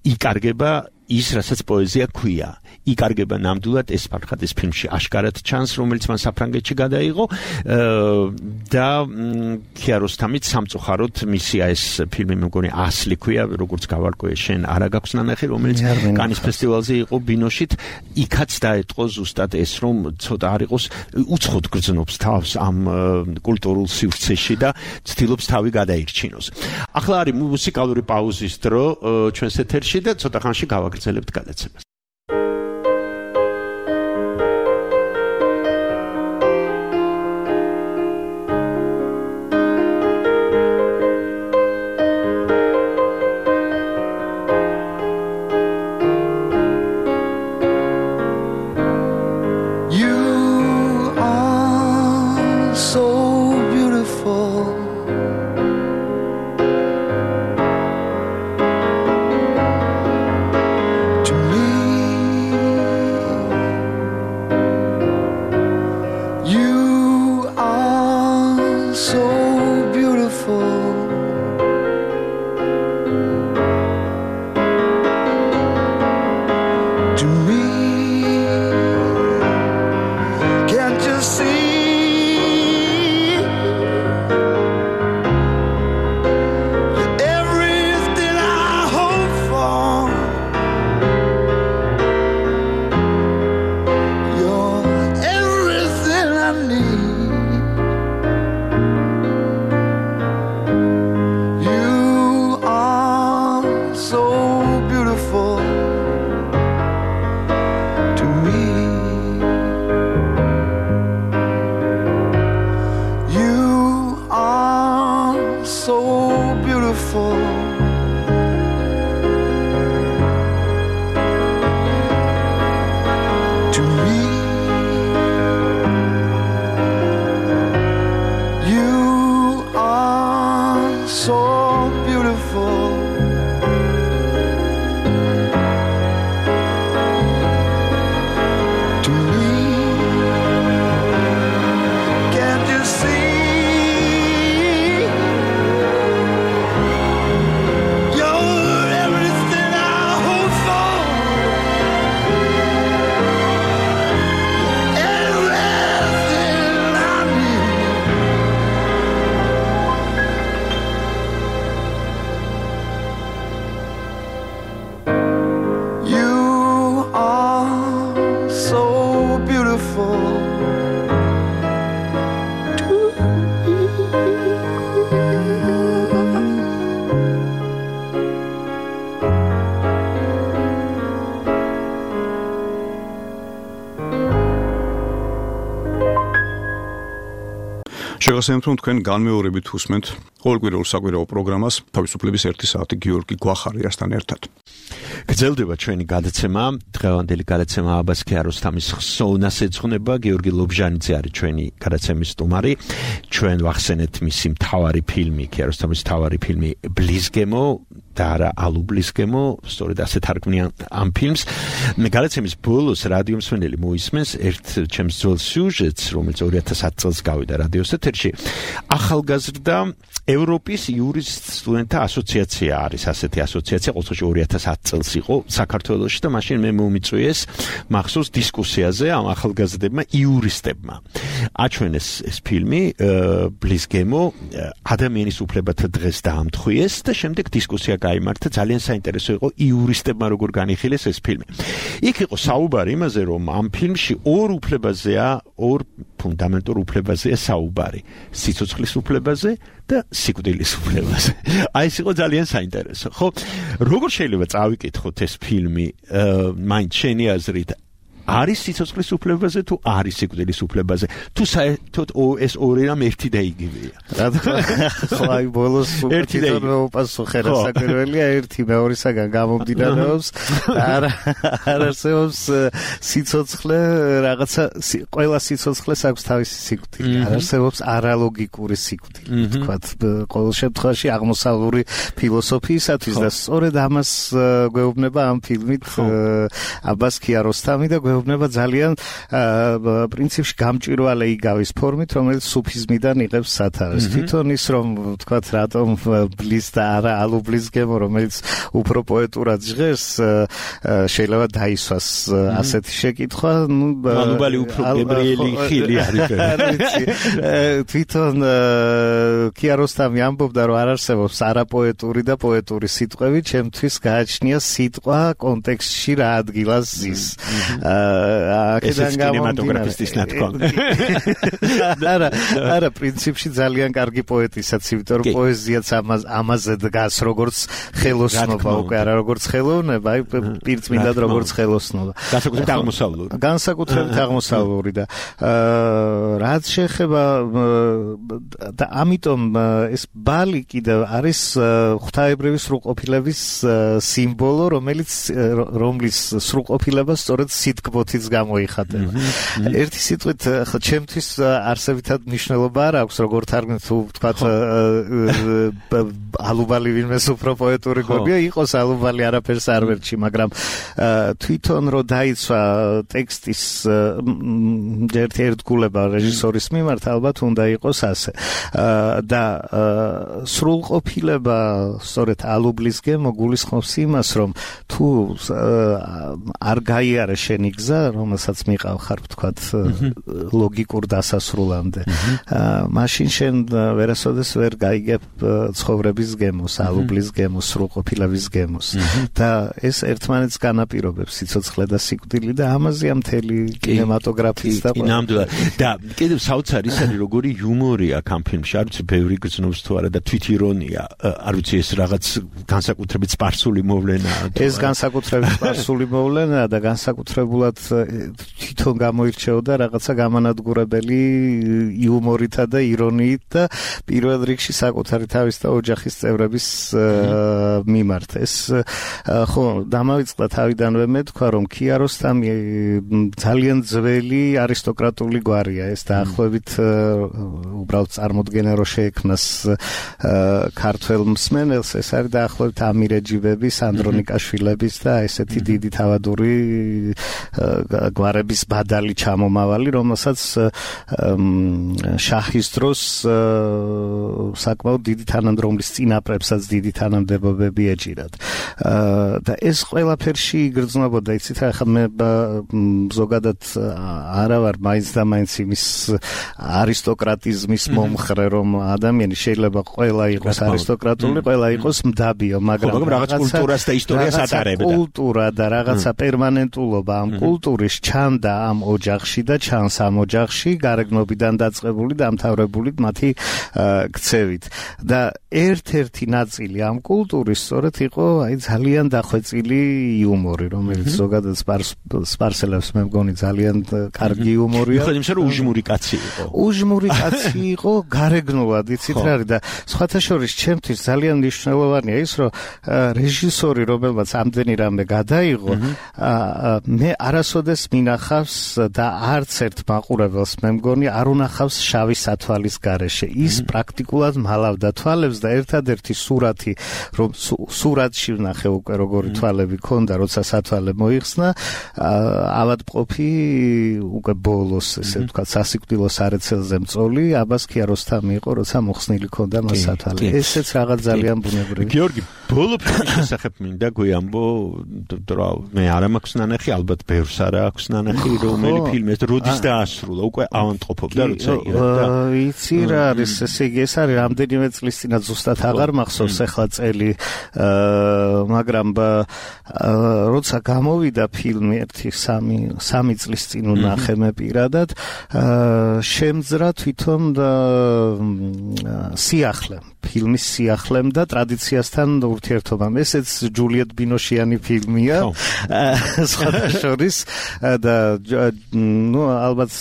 იკარგება ის რასაც პოეზია ქვია. იკარგება ნამდვილად ეს ფარხადის ფილმში აშკარად ჩანს, რომელიც მან საფრანგეთში გადაიღო და ქიაროსთამით სამწუხაროდ მისია ეს ფილმი მე მგონი ასლი ქვია, როგორც გავარკვიე შენ არა გაქვს ნანახი, რომელიც კანის ფესტივალზე იყო ბინოშით, იქაც დაეტყო ზუსტად ეს რომ ცოტა არ იყოს უცხოდ გრძნობს თავს ამ კულტურულ სივრცეში და ცდილობს თავი გადაირჩინოს. ახლა არის მუსიკალური პაუზის დრო ჩვენს ეთერში და ცოტა ხანში გავაგრძელებთ გადაცემას. To me შეგახსენებთ, რომ თქვენ განმეორებით უსმენთ ყოველკვირეულ საკვირაო პროგრამას თავისუფლების 1 საათი გიორგი გვახარიასთან ერთად. გრძელდება ჩვენი გადაცემა, დღევანდელი გადაცემა აბას ქიაროსთამის ხსოვნას ეძღვნება, გიორგი ლობჟანიძე არის ჩვენი გადაცემის სტუმარი. ჩვენ ვახსენეთ მისი მთავარი ფილმი, ქიაროსთამის მთავარი ფილმი ბლიზგემო და არა ალუბლისგემო, სწორედ ასე თარგმნიან ამ ფილმს. გადაცემის ბოლოს რადიო მსმენელი მოისმენს ერთ ჩემს ძველ სიუჟეტს, რომელიც 2010 წელს გავიდა რადიოს ეთერში. ახალგაზრდა ევროპის იურისტ სტუდენტთა ასოციაცია არის ასეთი ასოციაცია, ყოველთვის 2010 წელს იყო საქართველოში და მაშინ მე მომიწვიეს მახსოვს დისკუსიაზე ამ ახალგაზრდებმა იურისტებმა. აჩვენეს ეს ფილმი ბლიზგემო, ადამიანის უფლებათა დღეს დაამთხვიეს და შემდეგ დისკუსია გაიმართა, ძალიან საინტერესო იყო იურისტებმა როგორ განიხილეს ეს ფილმი. იქ იყო საუბარი იმაზე, რომ ამ ფილმში ორ ფუნდამენტურ უფლებაზეა საუბარი, სიცოცხლის უფლებაზე და სიკვდილის უფლებაზე. აი ეს იყო ძალიან საინტერესო. ხო, როგორ შეიძლება წავიკითხოთ ეს ფილმი, მაინც შენი აზრით, არის სიცოცხლის უფლებაზე თუ არის სიკვდილის უფლებაზე? თუ საერთოდ ეს ორი რამ ერთი და იგივეა. რა თქმა უნდა, ხო, აი ბოლოს თვითონ მეუპასუხე რა საკერველია, ერთი მეორისაგან გამომდინარეობს. არ არსებობს სიცოცხლე, რაღაცა ყველა სიცოცხლეს აქვს თავისი სიკვდილი. არ არსებობს არალოგიკური სიკვდილი, თქვათ, ყოველ შემთხვევაში აღმოსავლური ფილოსოფიისათვის და სწორედ ამას გვეუბნება ამ ფილმით აბას ქიაროსთამი და გვეუბნება ძალიან პრინციპში გამჭვირვალე იგავის ფორმით, რომელიც სუფიზმიდან იღებს სათავეს. თვითონ ის რომ თქვათ რატომ ბლის და არა ალუბლისგემო, რომელიც უფრო პოეტურად ჟღერს, შეიძლება დაისვას ასეთი შეკითხვა, ალუბალი უფრო გებრიელი ხილი არის. თვითონ ქიაროსთამი ამბობდა, რომ არ არსებობს არაპოეტური და პოეტური სიტყვები, ჩემთვის გააჩნია სიტყვა კონტექსტში რა ადგილას ზის. ესეც კინემატოგრაფისტის ნათქვამი. არა, პრინციპში ძალიან კარგი პოეტისაც, იმიტომ რომ პოეზიაც ამაზე დგას, როგორც ხელოსნობა, უკვე არა როგორც ხელოვნება, აი პირწმინდად როგორც ხელოსნობა. განსაკუთრებით აღმოსავლური და რაც შეეხება და ამიტომ ეს ბალი კიდევ არის ღვთაებრივი სრულყოფილების სიმბოლო, რომლის სრულყოფილება სწორედ სიტკბოთიც გამოიხატება. ერთი სიტყვით, ხო, ჩემთვის არსებითად მნიშვნელობა არ აქვს, როგორ თარგმნით, თუ თქვათ ალუბალი ვინმეს უფრო პოეტური გონია, იყოს ალუბალი არაფერს არ ვერჩი, მაგრამ თვითონ რო დაიცვა ტექსტის ერთგულება რეჟისორის მიმართ, ალბათ უნდა იყოს ასე. და სრულყოფილება სწორედ ალუბლისგემო გულისხმობს იმას, რომ თუ არ გაიარე შენი გზა, რომელსაც მიყავ ხარ, ვთქვათ, ლოგიკურ დასასრულამდე. მაშინ შენ ვერასოდეს ვერ გაიგებ ცხოვრების გემოს, ალუბლის გემოს, სრულყოფილების გემოს. და ეს ერთმანეთს განაპირობებს, სიცოცხლე და სიკვდილი და ამაზეა მთელი კინემატოგრაფიც და ნამდვილად. და კიდევ საოცარი ის არის, როგორი იუმორი აქვს ამ ფილმში, არ ვიცი, ბევრი გრძნობს თუ არა და თვითირონია, არ ვიცი, ეს რაღაც განსაკუთრებით სპარსული მოვლენაა. ეს განსაკუთრებით სპარსული მოვლენაა და განსაკუთრებულად თვითონ გამოირჩეოდა რაღაცა გამანადგურებელი იუმორითა და ირონიით და პირველ რიგში საკუთარი თავის და ოჯახის წევრების მიმართ. ეს ხო, დამავიწყდა თავიდანვე მე თქვა, რომ ქიაროსთამი ძალიან ძველი არისტოკრატული გვარია. ეს დაახლოებით უბრალოდ წარმოდგენა რო შეექმნას ქართველ მსმენელს, ეს არის დაახლოებით ამირეჯიბების, ანდრონიკაშვილების და ესეთი დიდი თავადური გვარების ბადალი ჩამომავალი, რომელსაც შაჰის დროს საკმაოდ დიდი თანამდებობის წინაპრებსაც დიდი თანამდებობები ეჭირათ. და ეს ყველაფერში იგრძნობოდა, იცით, ახლა მე ზოგადად არა ვარ მაინც და მაინც იმის არისტოკრატიზმის მომხრე, რომ ადამიანი შეიძლება ყველა იყოს არისტოკრატული, ყველა იყოს მდაბიო, მაგრამ რაღაც კულტურას და ისტორიას ატარებდა. კულტურა და რაღაცა პერმანენტულობა ამ კულტურის ჩანდა ამ ოჯახში და ჩანს ამ ოჯახში გარეგნობიდან დაწყებული და დამთავრებული მათი ქცევით. და ერთ-ერთი ნაწილი ამ კულტურის სწორედ იყო აი ძალიან დახვეწილი იუმორი, რომელიც ზოგადად სპარსელებს მე მგონი ძალიან კარგი იუმორია. ხოდი იმის რომ უჟმური კაცი იყო. უჟმური კაცი იყო გარეგნულად, იცით რა არის და სხვათა შორის ჩემთვის ძალიან მნიშვნელოვანია ის, რომ რეჟისორი, რომელმაც ამდენი რამე გადაიღო, მე არასოდეს მინახავს და არც ერთ მაყურებელს მე მგონი არ უნახავს შავი სათვალის გარეშე. ის პრაქტიკულად მალავდა თვალებს და ერთადერთი სურათი, რომ სურათში ვნახე უკვე როგორი თვალები ქონდა, როცა სათვალე მოიხსნა, ავადმყოფი უკვე ბოლოს, ესე ვთქვათ, სასიკვდილო სარეცელზე მწოლი, აბას ქიაროსთამი იყო, როცა მოხსნილი ქონდა მას სათვალე. ესეც რაღაც ძალიან ბუნებრივი. გიორგი, ბოლო ფილმის შესახებ მინდა გვიამბო, მე არ მაქვს ნანახი, ალბათ ბევრს არ აქვს ნანახი, რომელი ფილმი ეს როდის დაასრულა, უკვე ავადმყოფობდა, როცა ირა. იცი რა არის, ესე იგი ეს არის რამდენიმე წლის წინათ ზუსტად აღარ მახსოვს ახლა წელი, მაგრამ როცა გამოვიდა ფილმი 1-3 წლის წინ ვნახე მე პირადად, შემძრა თვითონ სიახლე, ფილმის სიახლემ და ტრადიციასთან ურთიერთობამ. ესეც ჯულიეტ ბინოშიანი ფილმია, სხვათა შორის და ალბათ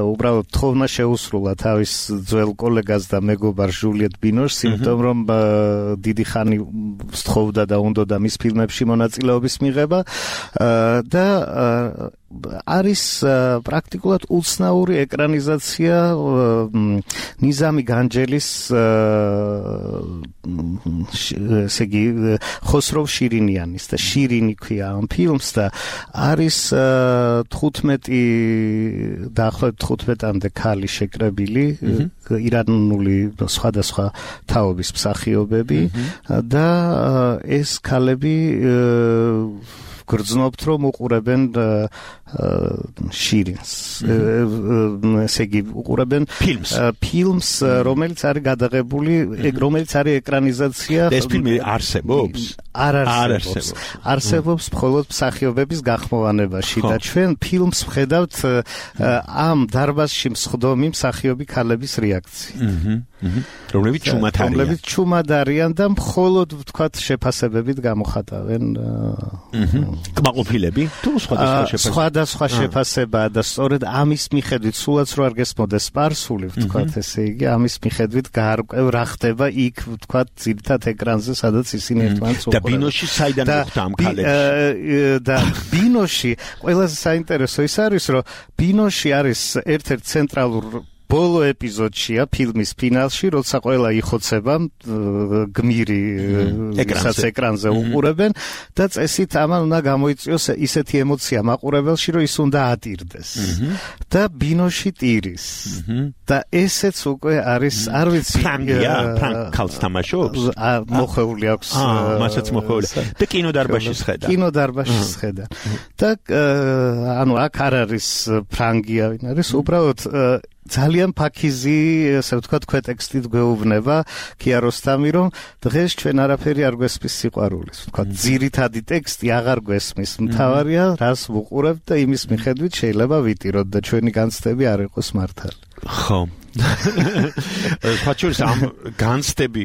უბრალოდ თხოვნა შეუსრულა თავის ძველ კოლეგას და მეგობარ ჯულიეტ ბინოშს, იმიტომ რომ დიდი ხანი სთხოვდა და უნდოდა მის ფილმებში მონაწილეობის მიღება და არის პრაქტიკულად უცნაური ეკრანიზაცია ნიზამი განჯელის ესე იგი ხოსროვ შირინიანის და შირინი ქვია ამ ფილმს და არის 15-დაახლოებით 15-მდე ქალი შეკრებილი ირანული სხვადასხვა თაობის მსახიობები და ეს ქალები გრძნობთ რომ უყურებენ შირინს, ესე იგი უყურებენ ფილმს, რომელიც არის გადაღებული, რომელიც არის ეკრანიზაცია. ეს ფილმი არსებობს? არ არსებობს მხოლოდ მსახიობების გახმოვანებაში და ჩვენ ფილმს ვხედავთ ამ დარბაზში მსხდომი მსახიობი ქალების რეაქციით. რომლებიც ჩუმად არიან და მხოლოდ ვთქვათ შეფასებებით გამოხატავენ კმაყოფილები თუ სხვადასხვა შეფასებაა და სწორედ ამის მიხედვით სულაც რო არ გესმოდეს სპარსული ვთქვათ ესე იგი ამის მიხედვით გაარკვევ რა ხდება იქ ვთქვათ ძირითად ეკრანზე სადაც ისინი ერთმანეთს უყურებენ და ბინოში საიდან მოხდა ამ ქალებში და ბინოში ყველაზე საინტერესო ის არის რომ ბინოში არის ერთ-ერთი ცენტრალურ ბოლო ეპიზოდშია ფილმის ფინალში, როცა ყველა იხოცება გმირი ეკრანზე უყურებენ და წესით ამან უნდა გამოიწვიოს ისეთი ემოცია მაყურებელში, რომ ის უნდა ატირდეს და ბინოში ტირის და ესეც უკვე არის არ ვიცი ქალს თამაშობს მოხეული აქვს მასაც მოხეული და კინოდარბაზში სხედა და ანუ აქ არ არის ფრანგია ვინ არის უბრალოდ ძალიან ფაქიზი, ასე ვთქვათ, ქვეტექსტით გვეუბნება ქიაროსთამი, რომ დღეს ჩვენ არაფერი არ გვესმის სიყვარულის. ვთქვათ, ძირითადი ტექსტი აღარ გვესმის. მთავარია, რას ვუყურებთ და იმის მიხედვით შეიძლება ვიტიროთ და ჩვენი განცდები არ იყოს მართალი. ხო. ხაჩურს ამ განცდები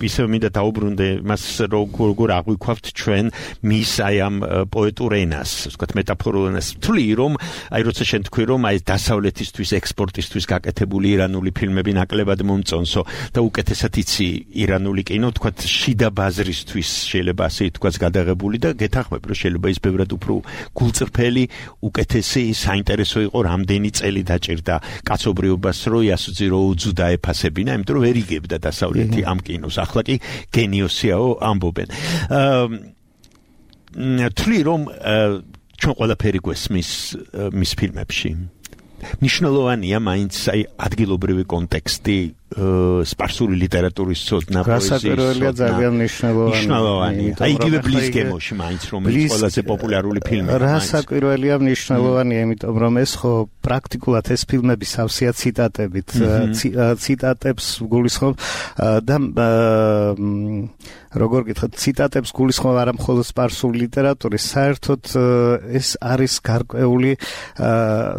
ისე მინდა დაუბრუნდე მას როგორ აღვიქვავთ ჩვენ მის აი ამ პოეტურ ენას, ვთქვათ მეტაფორულ ენას. თვლი რომ აი როცა შენ თქვი რომ აი დასავლეთისთვის ექსპორტისთვის გაკეთებული ირანული ფილმები ნაკლებად მომწონსო და უკეთესად იცი ირანული კინო, ვთქვათ შიდა ბაზრისთვის შეიძლება ასე ითქვას გადაღებული და გეთანხმებ რომ შეიძლება ის ბევრად უფრო გულწრფელი, უკეთესი, საინტერესო იყო რამდენი წელი დაჭირდა კაცობრიობა რომ იასუძი რო უძუდა ეფასებინა, იმიტომ რომ ვერ იგებდა დასავლეთი ამ კინოს. ახლა კი გენიოსიაო ამბობენ. თვლი რომ ჩვენ ყველაფერი გვესმის მის ფილმებში. ნიშნულოვანია მაინც აი ადგილობრივი კონტექსტი სპარსული ლიტერატურის ცოდნა, პოეზიის ძალიან მნიშვნელოვანია. აი იგივე ბლიზგემოში მაინც რომელიც ყველაზე პოპულარული ფილმია. რასაკვირველია მნიშვნელოვანია, იმიტომ რომ ეს ხო პრაქტიკულად ეს ფილმები სავსეა ციტატებით, ციტატებს გულისხმობ და როგორ გითხოთ, ციტატებს გულისხმობ არა მხოლოდ სპარსული ლიტერატურის, საერთოდ ეს არის გარკვეული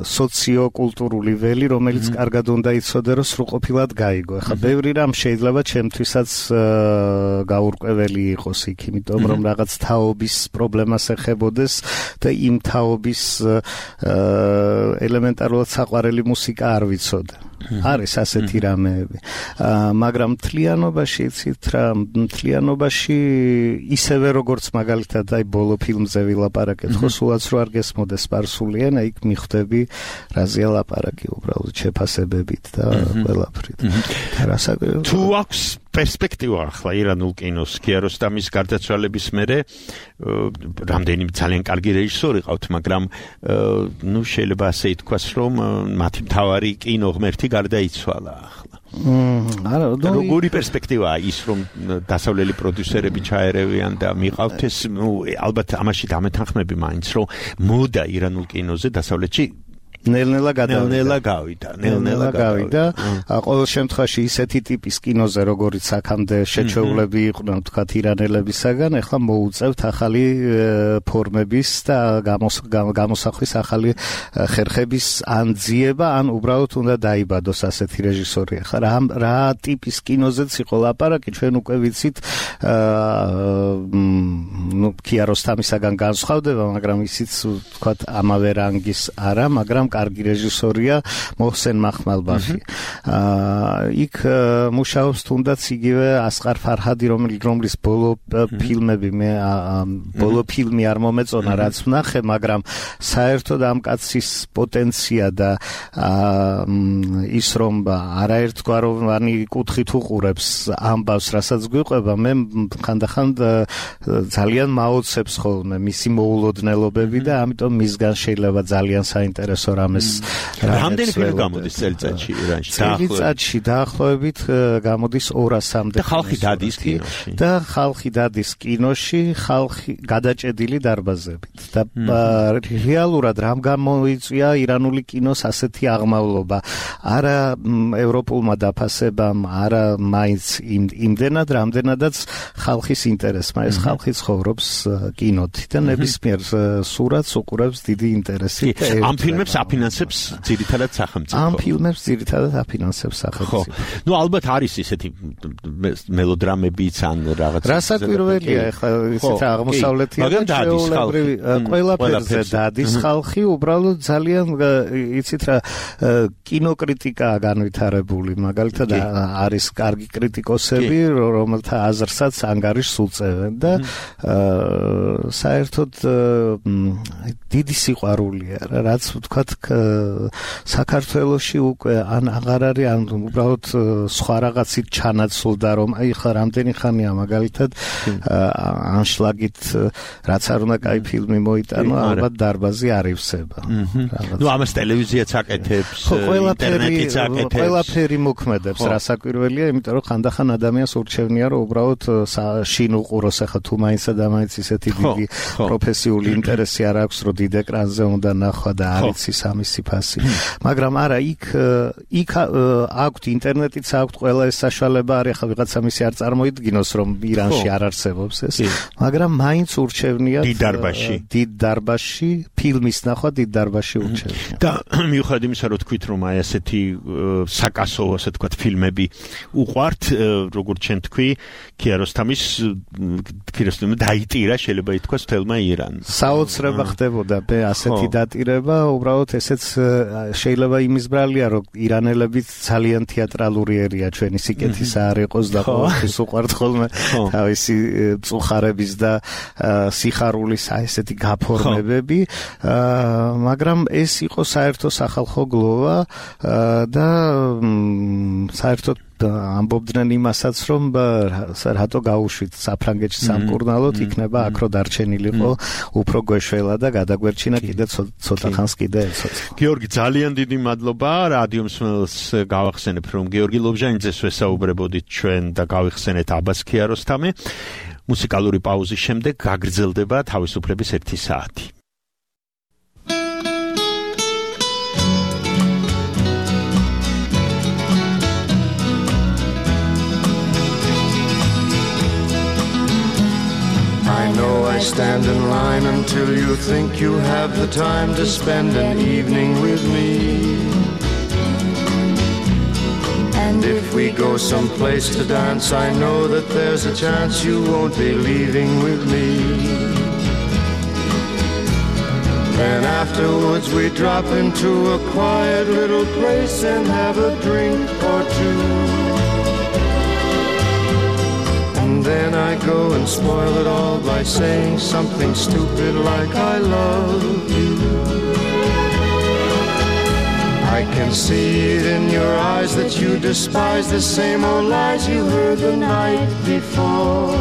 სოციოკულტურული ველი, რომელიც კარგად უნდა იცოდე, რომ სრულყოფილად გაიგო. შემოიგო. ეხლა ბევრი რამ შეიძლება ჩემთვისაც გაურკვეველი იყოს იქ, იმიტომ რომ რაღაც თაობის პრობლემას ეხებოდეს და იმ თაობის ელემენტარულად საყვარელი მუსიკა არ ვიცოდე. არის ასეთი რამეები. მაგრამ მთლიანობაში იცით რა, მთლიანობაში ისევე როგორც მაგალითად აი ბოლო ფილმზე ვილაპარაკეთ, ხო სულაც რო არ გესმოდეს სპარსული ენა, იქ მიხვდები რაზეა ლაპარაკი უბრალოდ შეფასებებით და ყველაფრით. თუ აქვს პერსპექტივა ახლა ირანულ კინოს კიაროსტამის გარდაცვალების მერე რამდენიმე ძალიან კარგი რეჟისორი ყავთ, მაგრამ ნუ შეიძლება ასე ითქვას, რომ მათი მთავარი კინოღმერთი გარდაიცვალა ახლა. არა, როგორი პერსპექტივაა ის, რომ დასავლელი პროდიუსერები ჩაერევიან და მიყავთ ეს, ნუ ალბათ ამაში დამეთანხმები მაინც, რომ მოდა ირანულ კინოზე დასავლეთში ნელ-ნელა გავიდა. ყოველ შემთხვევაში ისეთი ტიპის კინოზე, როგორიც აქამდე შეჩეულები იყვნენ, თქვათ ირანელებისაგან, ახლა მოუწევთ ახალი ფორმების და გამოსახვის ახალი ხერხების ან ძიება, ან უბრალოდ უნდა დაიბადოს ასეთი რეჟისორი. ახლა რა ტიპის კინოზეც იყო ლაპარაკი, ჩვენ უკვე ვიცით, კიაროსტამისაგან განსხვავდება, მაგრამ ისიც თქვათ ამავე რანგის არა, მაგრამ კარგი რეჟისორია მოჰსენ მახმალბაფი. იქ მუშაობს თუნდაც იგივე ასყარ ფარჰადი, რომლის ბოლო ფილმი არ მომეწონა, რაც ვნახე, მაგრამ საერთოდ ამ კაცის პოტენცია და ის რომ არაერთგვაროვანი კუთხით უყურებს ამბავს, რასაც გვიყვება, მე ხანდახან ძალიან მაოცებს ხოლმე მისი მოულოდნელობები და ამიტომ მისგან შეიძლება ძალიან საინტერესო რამდენი ფილმი გამოდის წელიწადში ირანში? წელიწადში დაახლოებით გამოდის 200-მდე. და ხალხი დადის კინოში, ხალხი გადაჭედილი დარბაზებით. და რეალურად რამ გამოიწვია ირანული კინოს ასეთი აღმავლობა? არა ევროპულმა დაფასებამ, არა მაინც იმდენად, რამდენადაც ხალხის ინტერესმა. ეს ხალხი ცხოვრობს კინოთი და ნებისმიერ სურათს უყურებს დიდი ინტერესით. ამ ფილმებს აფინანსებს ძირითადად სახელმწიფო. ამ ფილმებს ძირითადად აფინანსებს სახელმწიფო. ნუ ალბათ არის ისეთი მელოდრამებიც ან რაღაც. რასაკვირველია, ეხლა ისეთ აღმოსავლეთიდან ჩვეულებრივი ყველაფერზე დადის ხალხი, უბრალოდ ძალიან იცით რა კინოკრიტიკაა განვითარებული, მაგალითად არის კარგი კრიტიკოსები, რომელთა აზრსაც ანგარიშს უწევენ და საერთოდ დიდი სიყვარულია რა, რაც ვთქვათ საქართველოში უკვე ან აღარ არის, ან უბრალოდ სხვა რაღაცით ჩანაცვლდა, რომ აი ხა რამდენი ხანია მაგალითად ანშლაგით რაც არ უნდა კაი ფილმი მოიტანო, ალბათ დარბაზი არ ივსება. ნუ ამას ტელევიზიაც აკეთებს, ინტერნეტიც აკეთებს. ყველაფერი მოქმედებს, რასაკვირველია, იმიტომ რომ ხანდახან ადამიანს ურჩევნია, რომ უბრალოდ შინ უყუროს, ახლა თუ მაინცსა და მაინც ისეთი დიდი პროფესიული ინტერესი არ აქვს, რომ დიდ ეკრანზე უნდა ნახვა და არიცის ამისი ფასი. მაგრამ არა, იქ აქვთ ინტერნეტიც, აქვთ ყველა ეს საშუალება, არის ახლა ვიღაცა მისი არ წარმოიდგინოს, რომ ირანში არ არსებობს ეს, მაგრამ მაინც ურჩევნია დიდ დარბაზში ფილმის ნახვა, დიდ დარბაზში ურჩევნია. და მიუხედავად იმისა, რომ თქვით, რომ აი ასეთი საკასო, ასე ვთქვათ, ფილმები უყვართ, როგორც ჩვენ თქვი, კიაროსტამის დაიტირა, შეიძლება ითქვას, თელმა ირანს. საოცრება ხდებოდა ასეთი დატირება, უბრალოდ ესეც შეიძლება იმის ბრალია, რომ ირანელები ძალიან თეატრალური ერია, ჩვენი სიკეთის არ იყოს და ყოველთვის უყვართ ხოლმე თავისი მწუხარების და სიხარულის ესეთი გაფორმებები, მაგრამ ეს იყო საერთო სახალხო გლოვა და საერთოდ ამბობდნენ იმასაც, რომ რატო გაუშვით საფრანგეთში სამკურნალოდ, იქნება აქ რო დარჩენილიყო უფრო გვეშველა და გადაგვერჩინა კიდე ცოტა ხანს კიდე ეცოცხლო. გიორგი, ძალიან დიდი მადლობა. რადიო მსმენელს გავახსენებ, რომ გიორგი ლობჟანიძეს ვესაუბრებოდით ჩვენ და გავიხსენეთ აბას კიაროსტამი. მუსიკალური პაუზის შემდეგ გაგრძელდება თავისუფლების 1 საათი. I stand in line until you think you have the time to spend an evening with me. And And if we go someplace to dance, I know that there's a chance you won't be leaving with me. Then afterwards we drop into a quiet little place and have a drink or two. And then I go and spoil it all by saying something stupid like I love you. I can see it in your eyes that you despise the same old lies you heard the night before.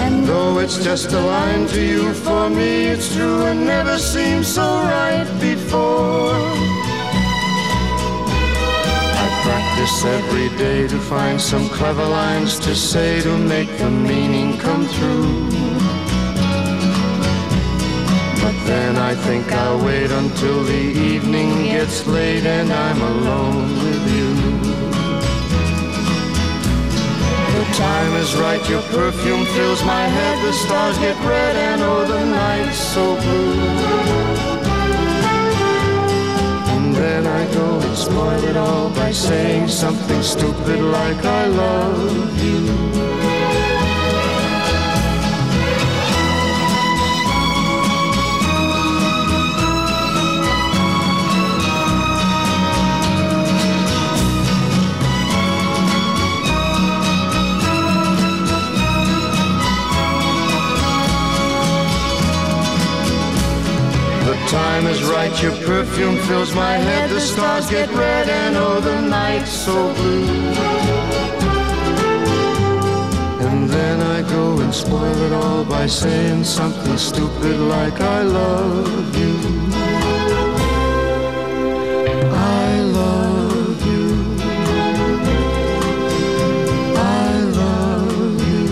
And though it's just a line to you, for me it's true and never seemed so right before. I practice every day to find some clever lines to say to make the meaning come through. Then I think I'll wait until the evening gets late and I'm alone with you. The time is right, your perfume fills my head, the stars get red and oh the night's so blue. And then I go and spoil it all by saying something stupid like I love you. Time is right, your perfume fills my head, the stars get red and oh the night's so blue. And then I go and spoil it all by saying something stupid like I love you. I love you. I love you.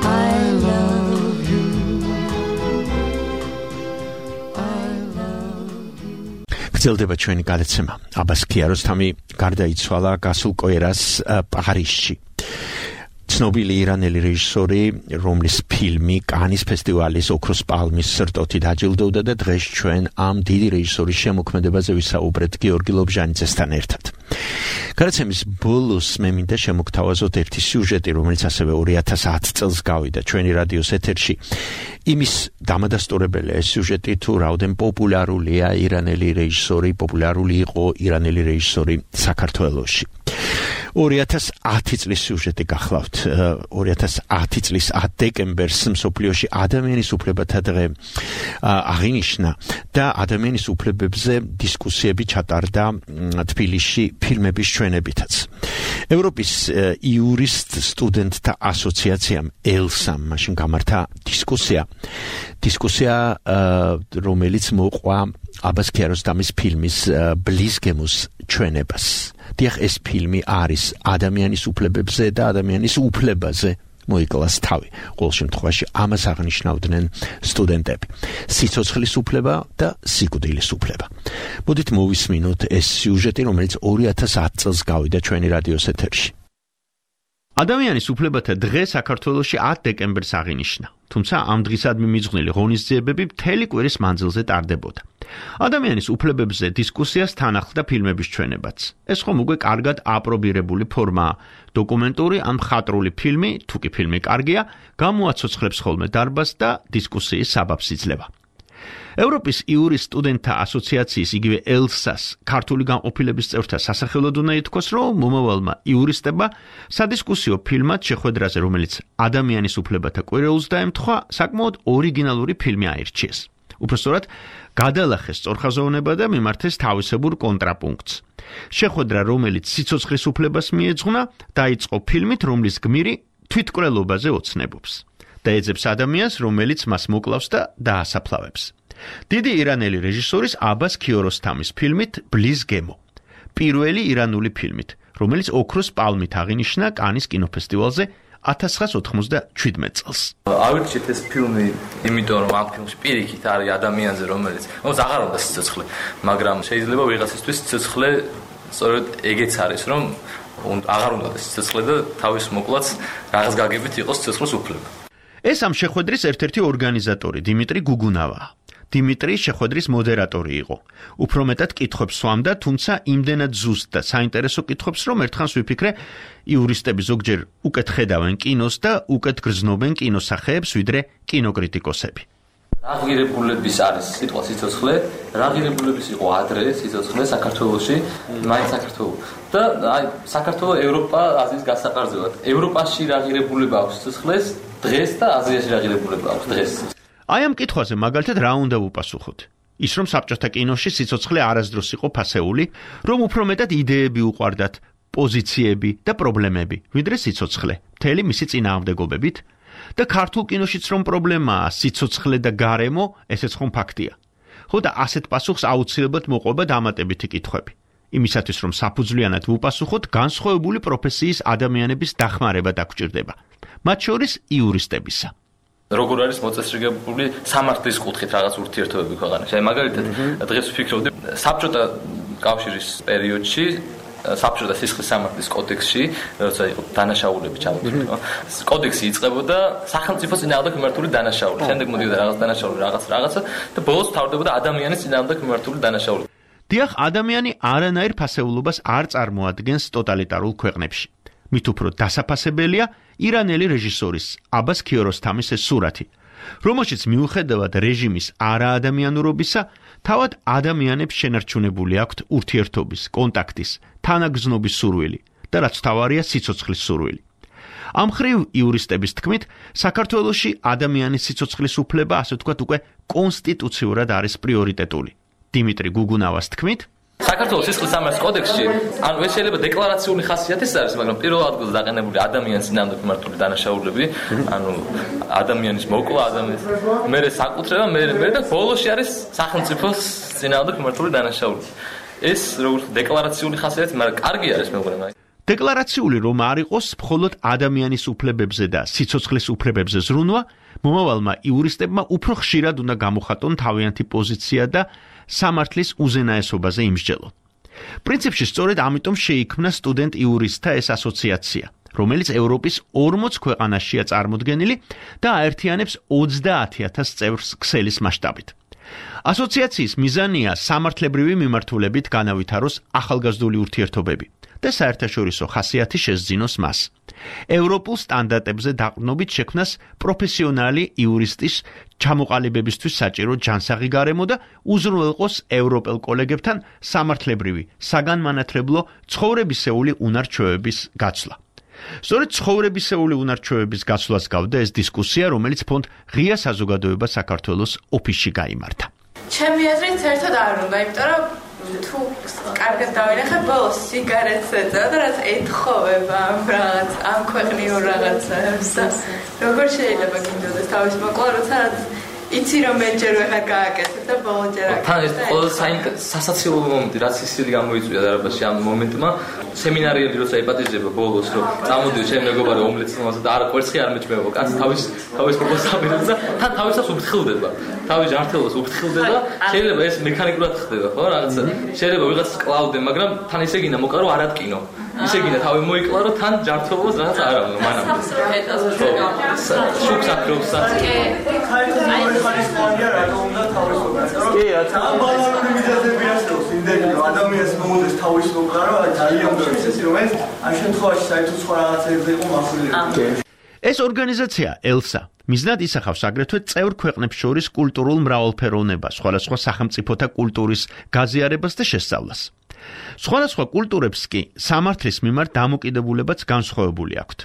I love you. გრძელდება ჩვენი გადაცემა. აბას ქიაროსთამი გარდაიცვალა გასულ კვირას პარიზში. ცნობილი ირანელი რეჟისორი, რომლის ფილმი კანის ფესტივალის ოქროს პალმის სრტოთი დაჯილდოვდა და დღეს ჩვენ ამ დიდი რეჟისორის შემოქმედებაზე ვისაუბრეთ გიორგი ლობჟანიძესთან ერთად. გადაცემის ბოლოს მე მინდა შემოგთავაზოთ ერთი სიუჟეტი, რომელიც ასევე 2010 წელს გავიდა ჩვენი რადიოს ეთერში. იმის დამადასტურებელია ეს სიუჟეტი, თუ რაოდენ პოპულარულია ირანელი რეჟისორი, პოპულარული იყო ირანელი რეჟისორი საქართველოში. 2010 წლის სიუჟეტი გახლავთ. 2010 წლის 10 დეკემბერს მსოფლიოში ადამიანის უფლებათა დღე აღინიშნა და ადამიანის უფლებებზე დისკუსიები ჩატარდა თბილისში ფილმების ჩვენებითაც. ევროპის იურისტ სტუდენტთა ასოციაციამ ელსამ მაშინ გამართა დისკუსია, რომელიც მოყვა აბას ქიაროსთამის ფილმის ბლიზგემოს ჩვენებას. დიახ, ეს ფილმი არის ადამიანის უფლებებზე და ადამიანის უფლებაზე მოიკლას თავი. ყოველ შემთხვევაში ამას აღნიშნავდნენ სტუდენტები. სიცოცხლის უფლება და სიკვდილის უფლება. მოდით მოვისმინოთ ეს სიუჟეტი, რომელიც 2010 წელს გავიდა ჩვენი რადიოს ეთერში. ადამიანის უფლებათა დღე საქართველოში 10 დეკემბერს აღინიშნა. თუმცა ამ დღისადმი მიძღვნილი ღონისძიებები მთელი კვირის მანძილზე ტარდებოდა. ადამიანის უფლებებზე დისკუსიას თან ახლდა ფილმების ჩვენებაც. ეს ხომ უკვე კარგად აპრობირებული ფორმაა. დოკუმენტური ან მხატვრული ფილმი, თუ კი ფილმი კარგია, გამოაცოცხლებს ხოლმე დარბაზს და დისკუსიის საბაბს იძლევა. ევროპის იურისტ სტუდენტთა ასოციაციის იგივე ელსას ქართული განყოფილების წევრთა სასახელოდ უნდა ითქვას, რომ მომავალმა იურისტებმა სადისკუსიო ფილმად შეხვედრაზე, რომელიც ადამიანის უფლებათა კვირეულს დაემთხვა, საკმაოდ ორიგინალური ფილმი აირჩიეს. უпростоრად გადალახეს სწორხაზოვნება და მიმართეს თავისებურ კონტრაპუნქტს. შეხვედრა, რომელიც სიცოცხლის უფლებას მიეძღვნა, დაიწყო ფილმით, რომლის გმირი თვითკვლელობაზე ოცნებობს და ეძებს ადამიანს, რომელიც მას მოკლავს და დაასაფლავებს. დიდი ირანელი რეჟისორის აბას ქიაროსთამის ფილმით ბლიზგემო, პირველი ირანული ფილმით, რომელიც ოქროს პალმით აღინიშნა კანის კინოფესტივალზე 1997 წელს. ავირჩიეთ ეს ფილმი, იმიტომ რომ ამ ფილმში პირიქით არის ადამიანზე, რომელიც აღარ უნდა სიცოცხლე, მაგრამ შეიძლება ვიღაცისთვის სიცოცხლე სწორედ ეგეც არის, რომ აღარ უნდა სიცოცხლე და თავის მოკლაც რაღაც გაგებით იყოს სიცოცხლის უფლება. ეს ამ შეხვედრის ერთ-ერთი ორგანიზატორი დიმიტრი გუგუნავაა. დიმიტრი შეხვედრის მოდერატორი იყო. უფრო მეტად კითხვებს სვამდა, თუმცა იმდენად ზუსტ და საინტერესო კითხვებს, რომ ერთხანს ვიფიქრე, იურისტები ზოგჯერ უკეთ ხედავენ კინოს და უკეთ გრძნობენ კინოსახეებს, ვიდრე კინოკრიტიკოსები. რა ღირებულების არის სიტყვა სიცოცხლე, რა ღირებულების იყო ადრე სიცოცხლე საქართველოში, მაინც საქართველო. და აი საქართველო ევროპა აზიის გასაყარზევად. ევროპაში რა ღირებულება აქვს სიცოცხლეს დღეს და აზიაში რა ღირებულება აქვს დღეს. აი ამ კითხვაზე მაგალითად რა უნდა ვუპასუხოთ? ის რომ საბჭოთა კინოში სიცოცხლე არასდროს იყო ფასეული, რომ უფრო მეტად იდეები უყვარდათ, პოზიციები და პრობლემები, ვიდრე სიცოცხლე, მთელი მისი წინააღმდეგობებით. და ქართულ კინოშიც რომ პრობლემაა სიცოცხლე და გარემო, ესეც ხომ ფაქტია. ხო და ასეთ პასუხს აუცილებლად მოყვება დამატებითი კითხვები. იმისათვის რომ საფუძვლიანად ვუპასუხოთ, განსხვავებული პროფესიის ადამიანების დახმარება დაგვჭირდება. მათ შორის იურისტებისა. როგორ არის მოწესრიგებული სამართლის კუთხით რაღაც ურთიერთობები ქვეყანაში. აი მაგალითად, დღეს ვფიქრობდი საბჭოთა კავშირის პერიოდში საბჭოთა სისხლის სამართლის კოდექსში, როცა იყო დანაშაულები ჩამოთვლილი, კოდექსი იწყებოდა სახელმწიფოს წინააღმდეგ მიმართული დანაშაული. შემდეგ მოდიოდა რაღაც დანაშაული, რაღაცა და ბოლოს თავდებოდა ადამიანის წინააღმდეგ მიმართული დანაშაული. დიახ, ადამიანი არანაირ ფასეულობას არ წარმოადგენს ტოტალიტარულ ქვეყნებში. მით უფრო დასაფასებელია ირანელი რეჟისორის აბას ქიოროსთამის ეს სურათი, რომელშიც მიუხედავად რეჟიმის არაადამიანურობისა, თავად ადამიანებს შენარჩუნებული აქვთ ურთიერთობის, კონტაქტის, თანაგრძნობის სურვილი და რაც თავარია სიცოცხლის სურვილი. ამ მხრივ იურისტების თქმით, საქართველოში ადამიანის სიცოცხლის უფლება, ასე ვთქვათ, უკვე კონსტიტუციურად არის პრიორიტეტული. დიმიტრი გუგუნავას თქმით, საქართველოს სისხლის სამართლის კოდექსში, ანუ ეს შეიძლება დეკლარაციული ხასიათის არის, მაგრამ პირველ ადგილზე დაყენებული ადამიანის წინააღმდეგ მიმართული დანაშაულები, ანუ ადამიანის მოკლა, ადამიანის მერე საკუთრება, მერე და ბოლოში არის სახელმწიფოს წინააღმდეგ მიმართული დანაშაულები. ეს როგორც დეკლარაციული ხასიათი, მაგრამ კარგი არის მე მგონი. დეკლარაციული რომ არ იყოს მხოლოდ ადამიანის უფლებებზე და სიცოცხლის უფლებებზე ზრუნვა, მომავალმა იურისტებმა უფრო ხშირად უნდა გამოხატონ თავიანთი პოზიცია და სამართლის უზენაესობაზე იმსჯელონ. პრინციპში სწორედ ამიტომ შეიქმნა სტუდენტ იურისტთა ეს ასოციაცია, რომელიც ევროპის 40 ქვეყანაშია წარმოდგენილი და აერთიანებს 30,000 წევრს ქსელის მასშტაბით. ასოციაციის მიზანია სამართლებრივი მიმართულებით განავითაროს ახალგაზრდული ურთიერთობები და საერთაშორისო ხასიათი შესძინოს მას. ევროპულ სტანდარტებზე დაყრდნობით შექმნას პროფესიონალი იურისტის ჩამოყალიბებისთვის საჭირო ჯანსაღი გარემო და უზრუნველყოს ევროპელ კოლეგებთან სამართლებრივი, საგანმანათლებლო, ცხოვრებისეული უნარჩვევების გაცვლა. სწორედ ცხოვრებისეული უნარჩვევების გაცვლას გავდა ეს დისკუსია, რომელიც ფონდ ღია საზოგადოება საქართველოს ოფისში გაიმართა. ჩემი აზრით საერთოდ არ უნდა, იმიტომ რომ თუ კარგად დავინახე ბოლოს სიგარეტს ეწევა და რაც ეთხოვება ამ ქვეყნიურ რაღაცებს და როგორ შეიძლება გინდოდეს თავის მოკლა, როცა იცი რომ მეჯერ ვეღარ გააკეთებ და ბოლოჯერ აკეთებ. თან ეს ყველა სასაცილო მომენტი, რაც ისინი გამოიწვია დარაბაში ამ მომენტმა, სემინარიები როცა იპატიჟება ბოლოს, რომ წამოდიო ჩემ მეგობარი ომლეტს მომასა და არა კვერცხი არ მეჭმევა, კაცი თავის პროპოზს აბერებს და თან თავისას უფრთხილდება. თავის ჯანმრთელობას უფრთხილდება, შეიძლება ეს მექანიკურად ხდება, ხო, რაღაცა. შეიძლება ვიღაც კლავდე, მაგრამ თან ისე გინდა მოკლა რომ არ ატკინო. ისე გინდა თავი მოიკლა რომ თან ჯანმრთელობას რაღაც არ ავნო მანამდე. შუქს აკრობს საწყი. კი, ამ ბალანსური მიზეზები არსებობს, იმდენი რომ ადამიანს მომოდეს თავის მოკლა რომ ძალიან ბევრი ისეთი რომ ეს ამ შემთხვევაში საერთოდ სხვა რაღაცებზე იყო მახვილებული. ეს ორგანიზაცია ელსა მიზნად ისახავს აგრეთვე წევრ ქვეყნებს შორის კულტურულ მრავალფეროვნებას, სხვადასხვა სახელმწიფოთა კულტურის გაზიარებას და შესწავლას. სხვადასხვა კულტურებს კი სამართლის მიმართ დამოკიდებულებაც განსხვავებული აქვთ.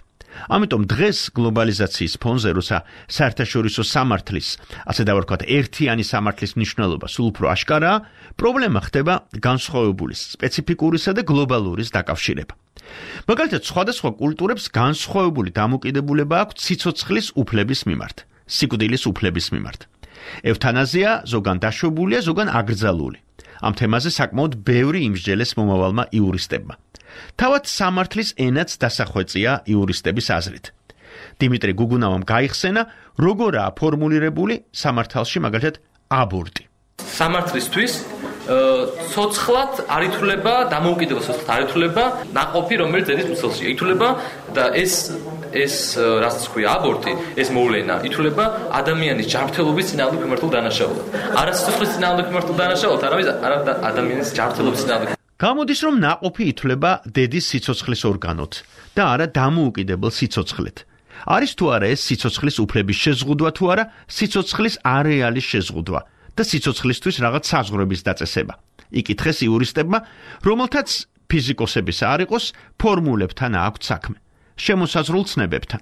ამიტომ დღეს გლობალიზაციის ფონზე, როცა საერთაშორისო სამართლის, ასე დავარქვათ, ერთიანი სამართლის მნიშვნელობა სულ უფრო აშკარაა, პრობლემა ხდება განსხვავებულის, სპეციფიკურისა და გლობალურის დაკავშირება. მაგალითად, სხვადასხვა კულტურებს განსხვავებული დამოკიდებულება აქვთ სიცოცხლის უფლების მიმართ, სიკვდილის უფლების მიმართ. ევთანაზია ზოგან დაშვებულია, ზოგან აკრძალული. ამ თემაზე საკმაოდ ბევრი იმსჯელეს მომავალმა იურისტებმა. თავად სამართლის ენაც დასახვეწია იურისტების აზრით. დიმიტრი გუგუნავამ გაიხსენა, როგორაა ფორმულირებული სამართალში მაგალითად აბორტი. სამართლისთვის ცოცხლად არ ითვლება დამოუკიდებელ ცოცხლად არ ითვლება ნაყოფი, რომელიც ძელის მცველშია ითვლება და ეს ეს რაც თქვია აბორტი, ეს მოვლენა ითვლება ადამიანის ჯანმრთელობის წინააღმდეგ მიმართულ დანაშაულად. არა სიცოცხლის წინააღმდეგ მიმართულ დანაშაულად, არამედ ადამიანის ჯანმრთელობის წინააღმდეგ. გამოდის რომ ნაყოფი ითვლება დედის სიცოცხლის ორგანოდ და არა დამოუკიდებელ სიცოცხლედ. არის თუ არა ეს სიცოცხლის უფლების შეზღუდვა თუ არა სიცოცხლის არეალის შეზღუდვა და სიცოცხლისთვის რაღაც საზღვრების დაწესება. იკითხეს იურისტებმა, რომელთაც ფიზიკოსების არ იყოს ფორმულებთან აქვთ საქმე, შემოსაზღვრულ ცნებებთან.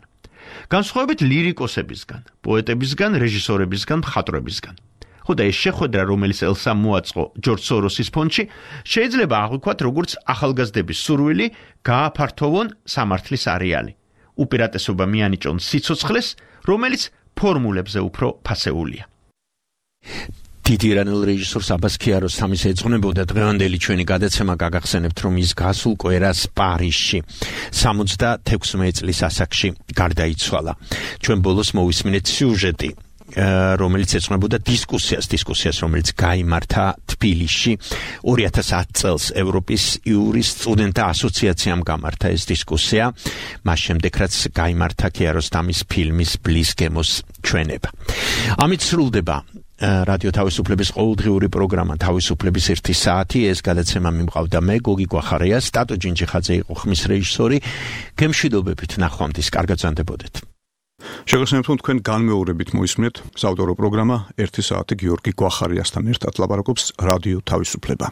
განსხვავებით ლირიკოსებისგან, პოეტებისგან, რეჟისორებისგან, მხატვრებისგან. ხოდა ეს შეხვედრა, რომელიც ელსამ მოაწყო ჯორჯ სოროსის ფონდში, შეიძლება აღვიქვათ როგორც ახალგაზრდების სურვილი გააფართოვონ სამართლის არეალი. უპირატესობა მიანიჭონ სიცოცხლეს, რომელიც ფორმულებზე უფრო ფასეულია. დიდი ირანელ რეჟისორს აბას ქიაროსთამის ეძღვნებოდა დღევანდელი ჩვენი გადაცემა გაგახსენებთ, რომ ის გასულ კვირას პარიზში 76 წლის ასაკში გარდაიცვალა. ჩვენ ბოლოს მოვისმინეთ სიუჟეტი, რომელიც ეძღვნებოდა დისკუსიას, რომელიც გაიმართა თბილისში 2010 წელს ევროპის იურისტ სტუდენტთა ასოციაციამ გამართა ეს დისკუსია, მას შემდეგ რაც გაიმართა ქიაროსთამის ფილმის ბლის გემოს ჩვენება. ამით სრულდება რადიო თავისუფლების ყოველდღიური პროგრამა თავისუფლების 1 საათი. ეს გადაცემა მიმყავდა მე, გოგი გვახარია, სტატო ჯინჯიხაძე იყო ხმის რეჟისორი. გემშვიდობებით, ნახვამდის, კარგად ზანდებოდეთ. შეგახსენებთ, რომ თქვენ განმეორებით მოისმენთ საავტორო პროგრამა 1 საათი გიორგი გვახარიასთან ერთად ლაპარაკობს რადიო თავისუფლება.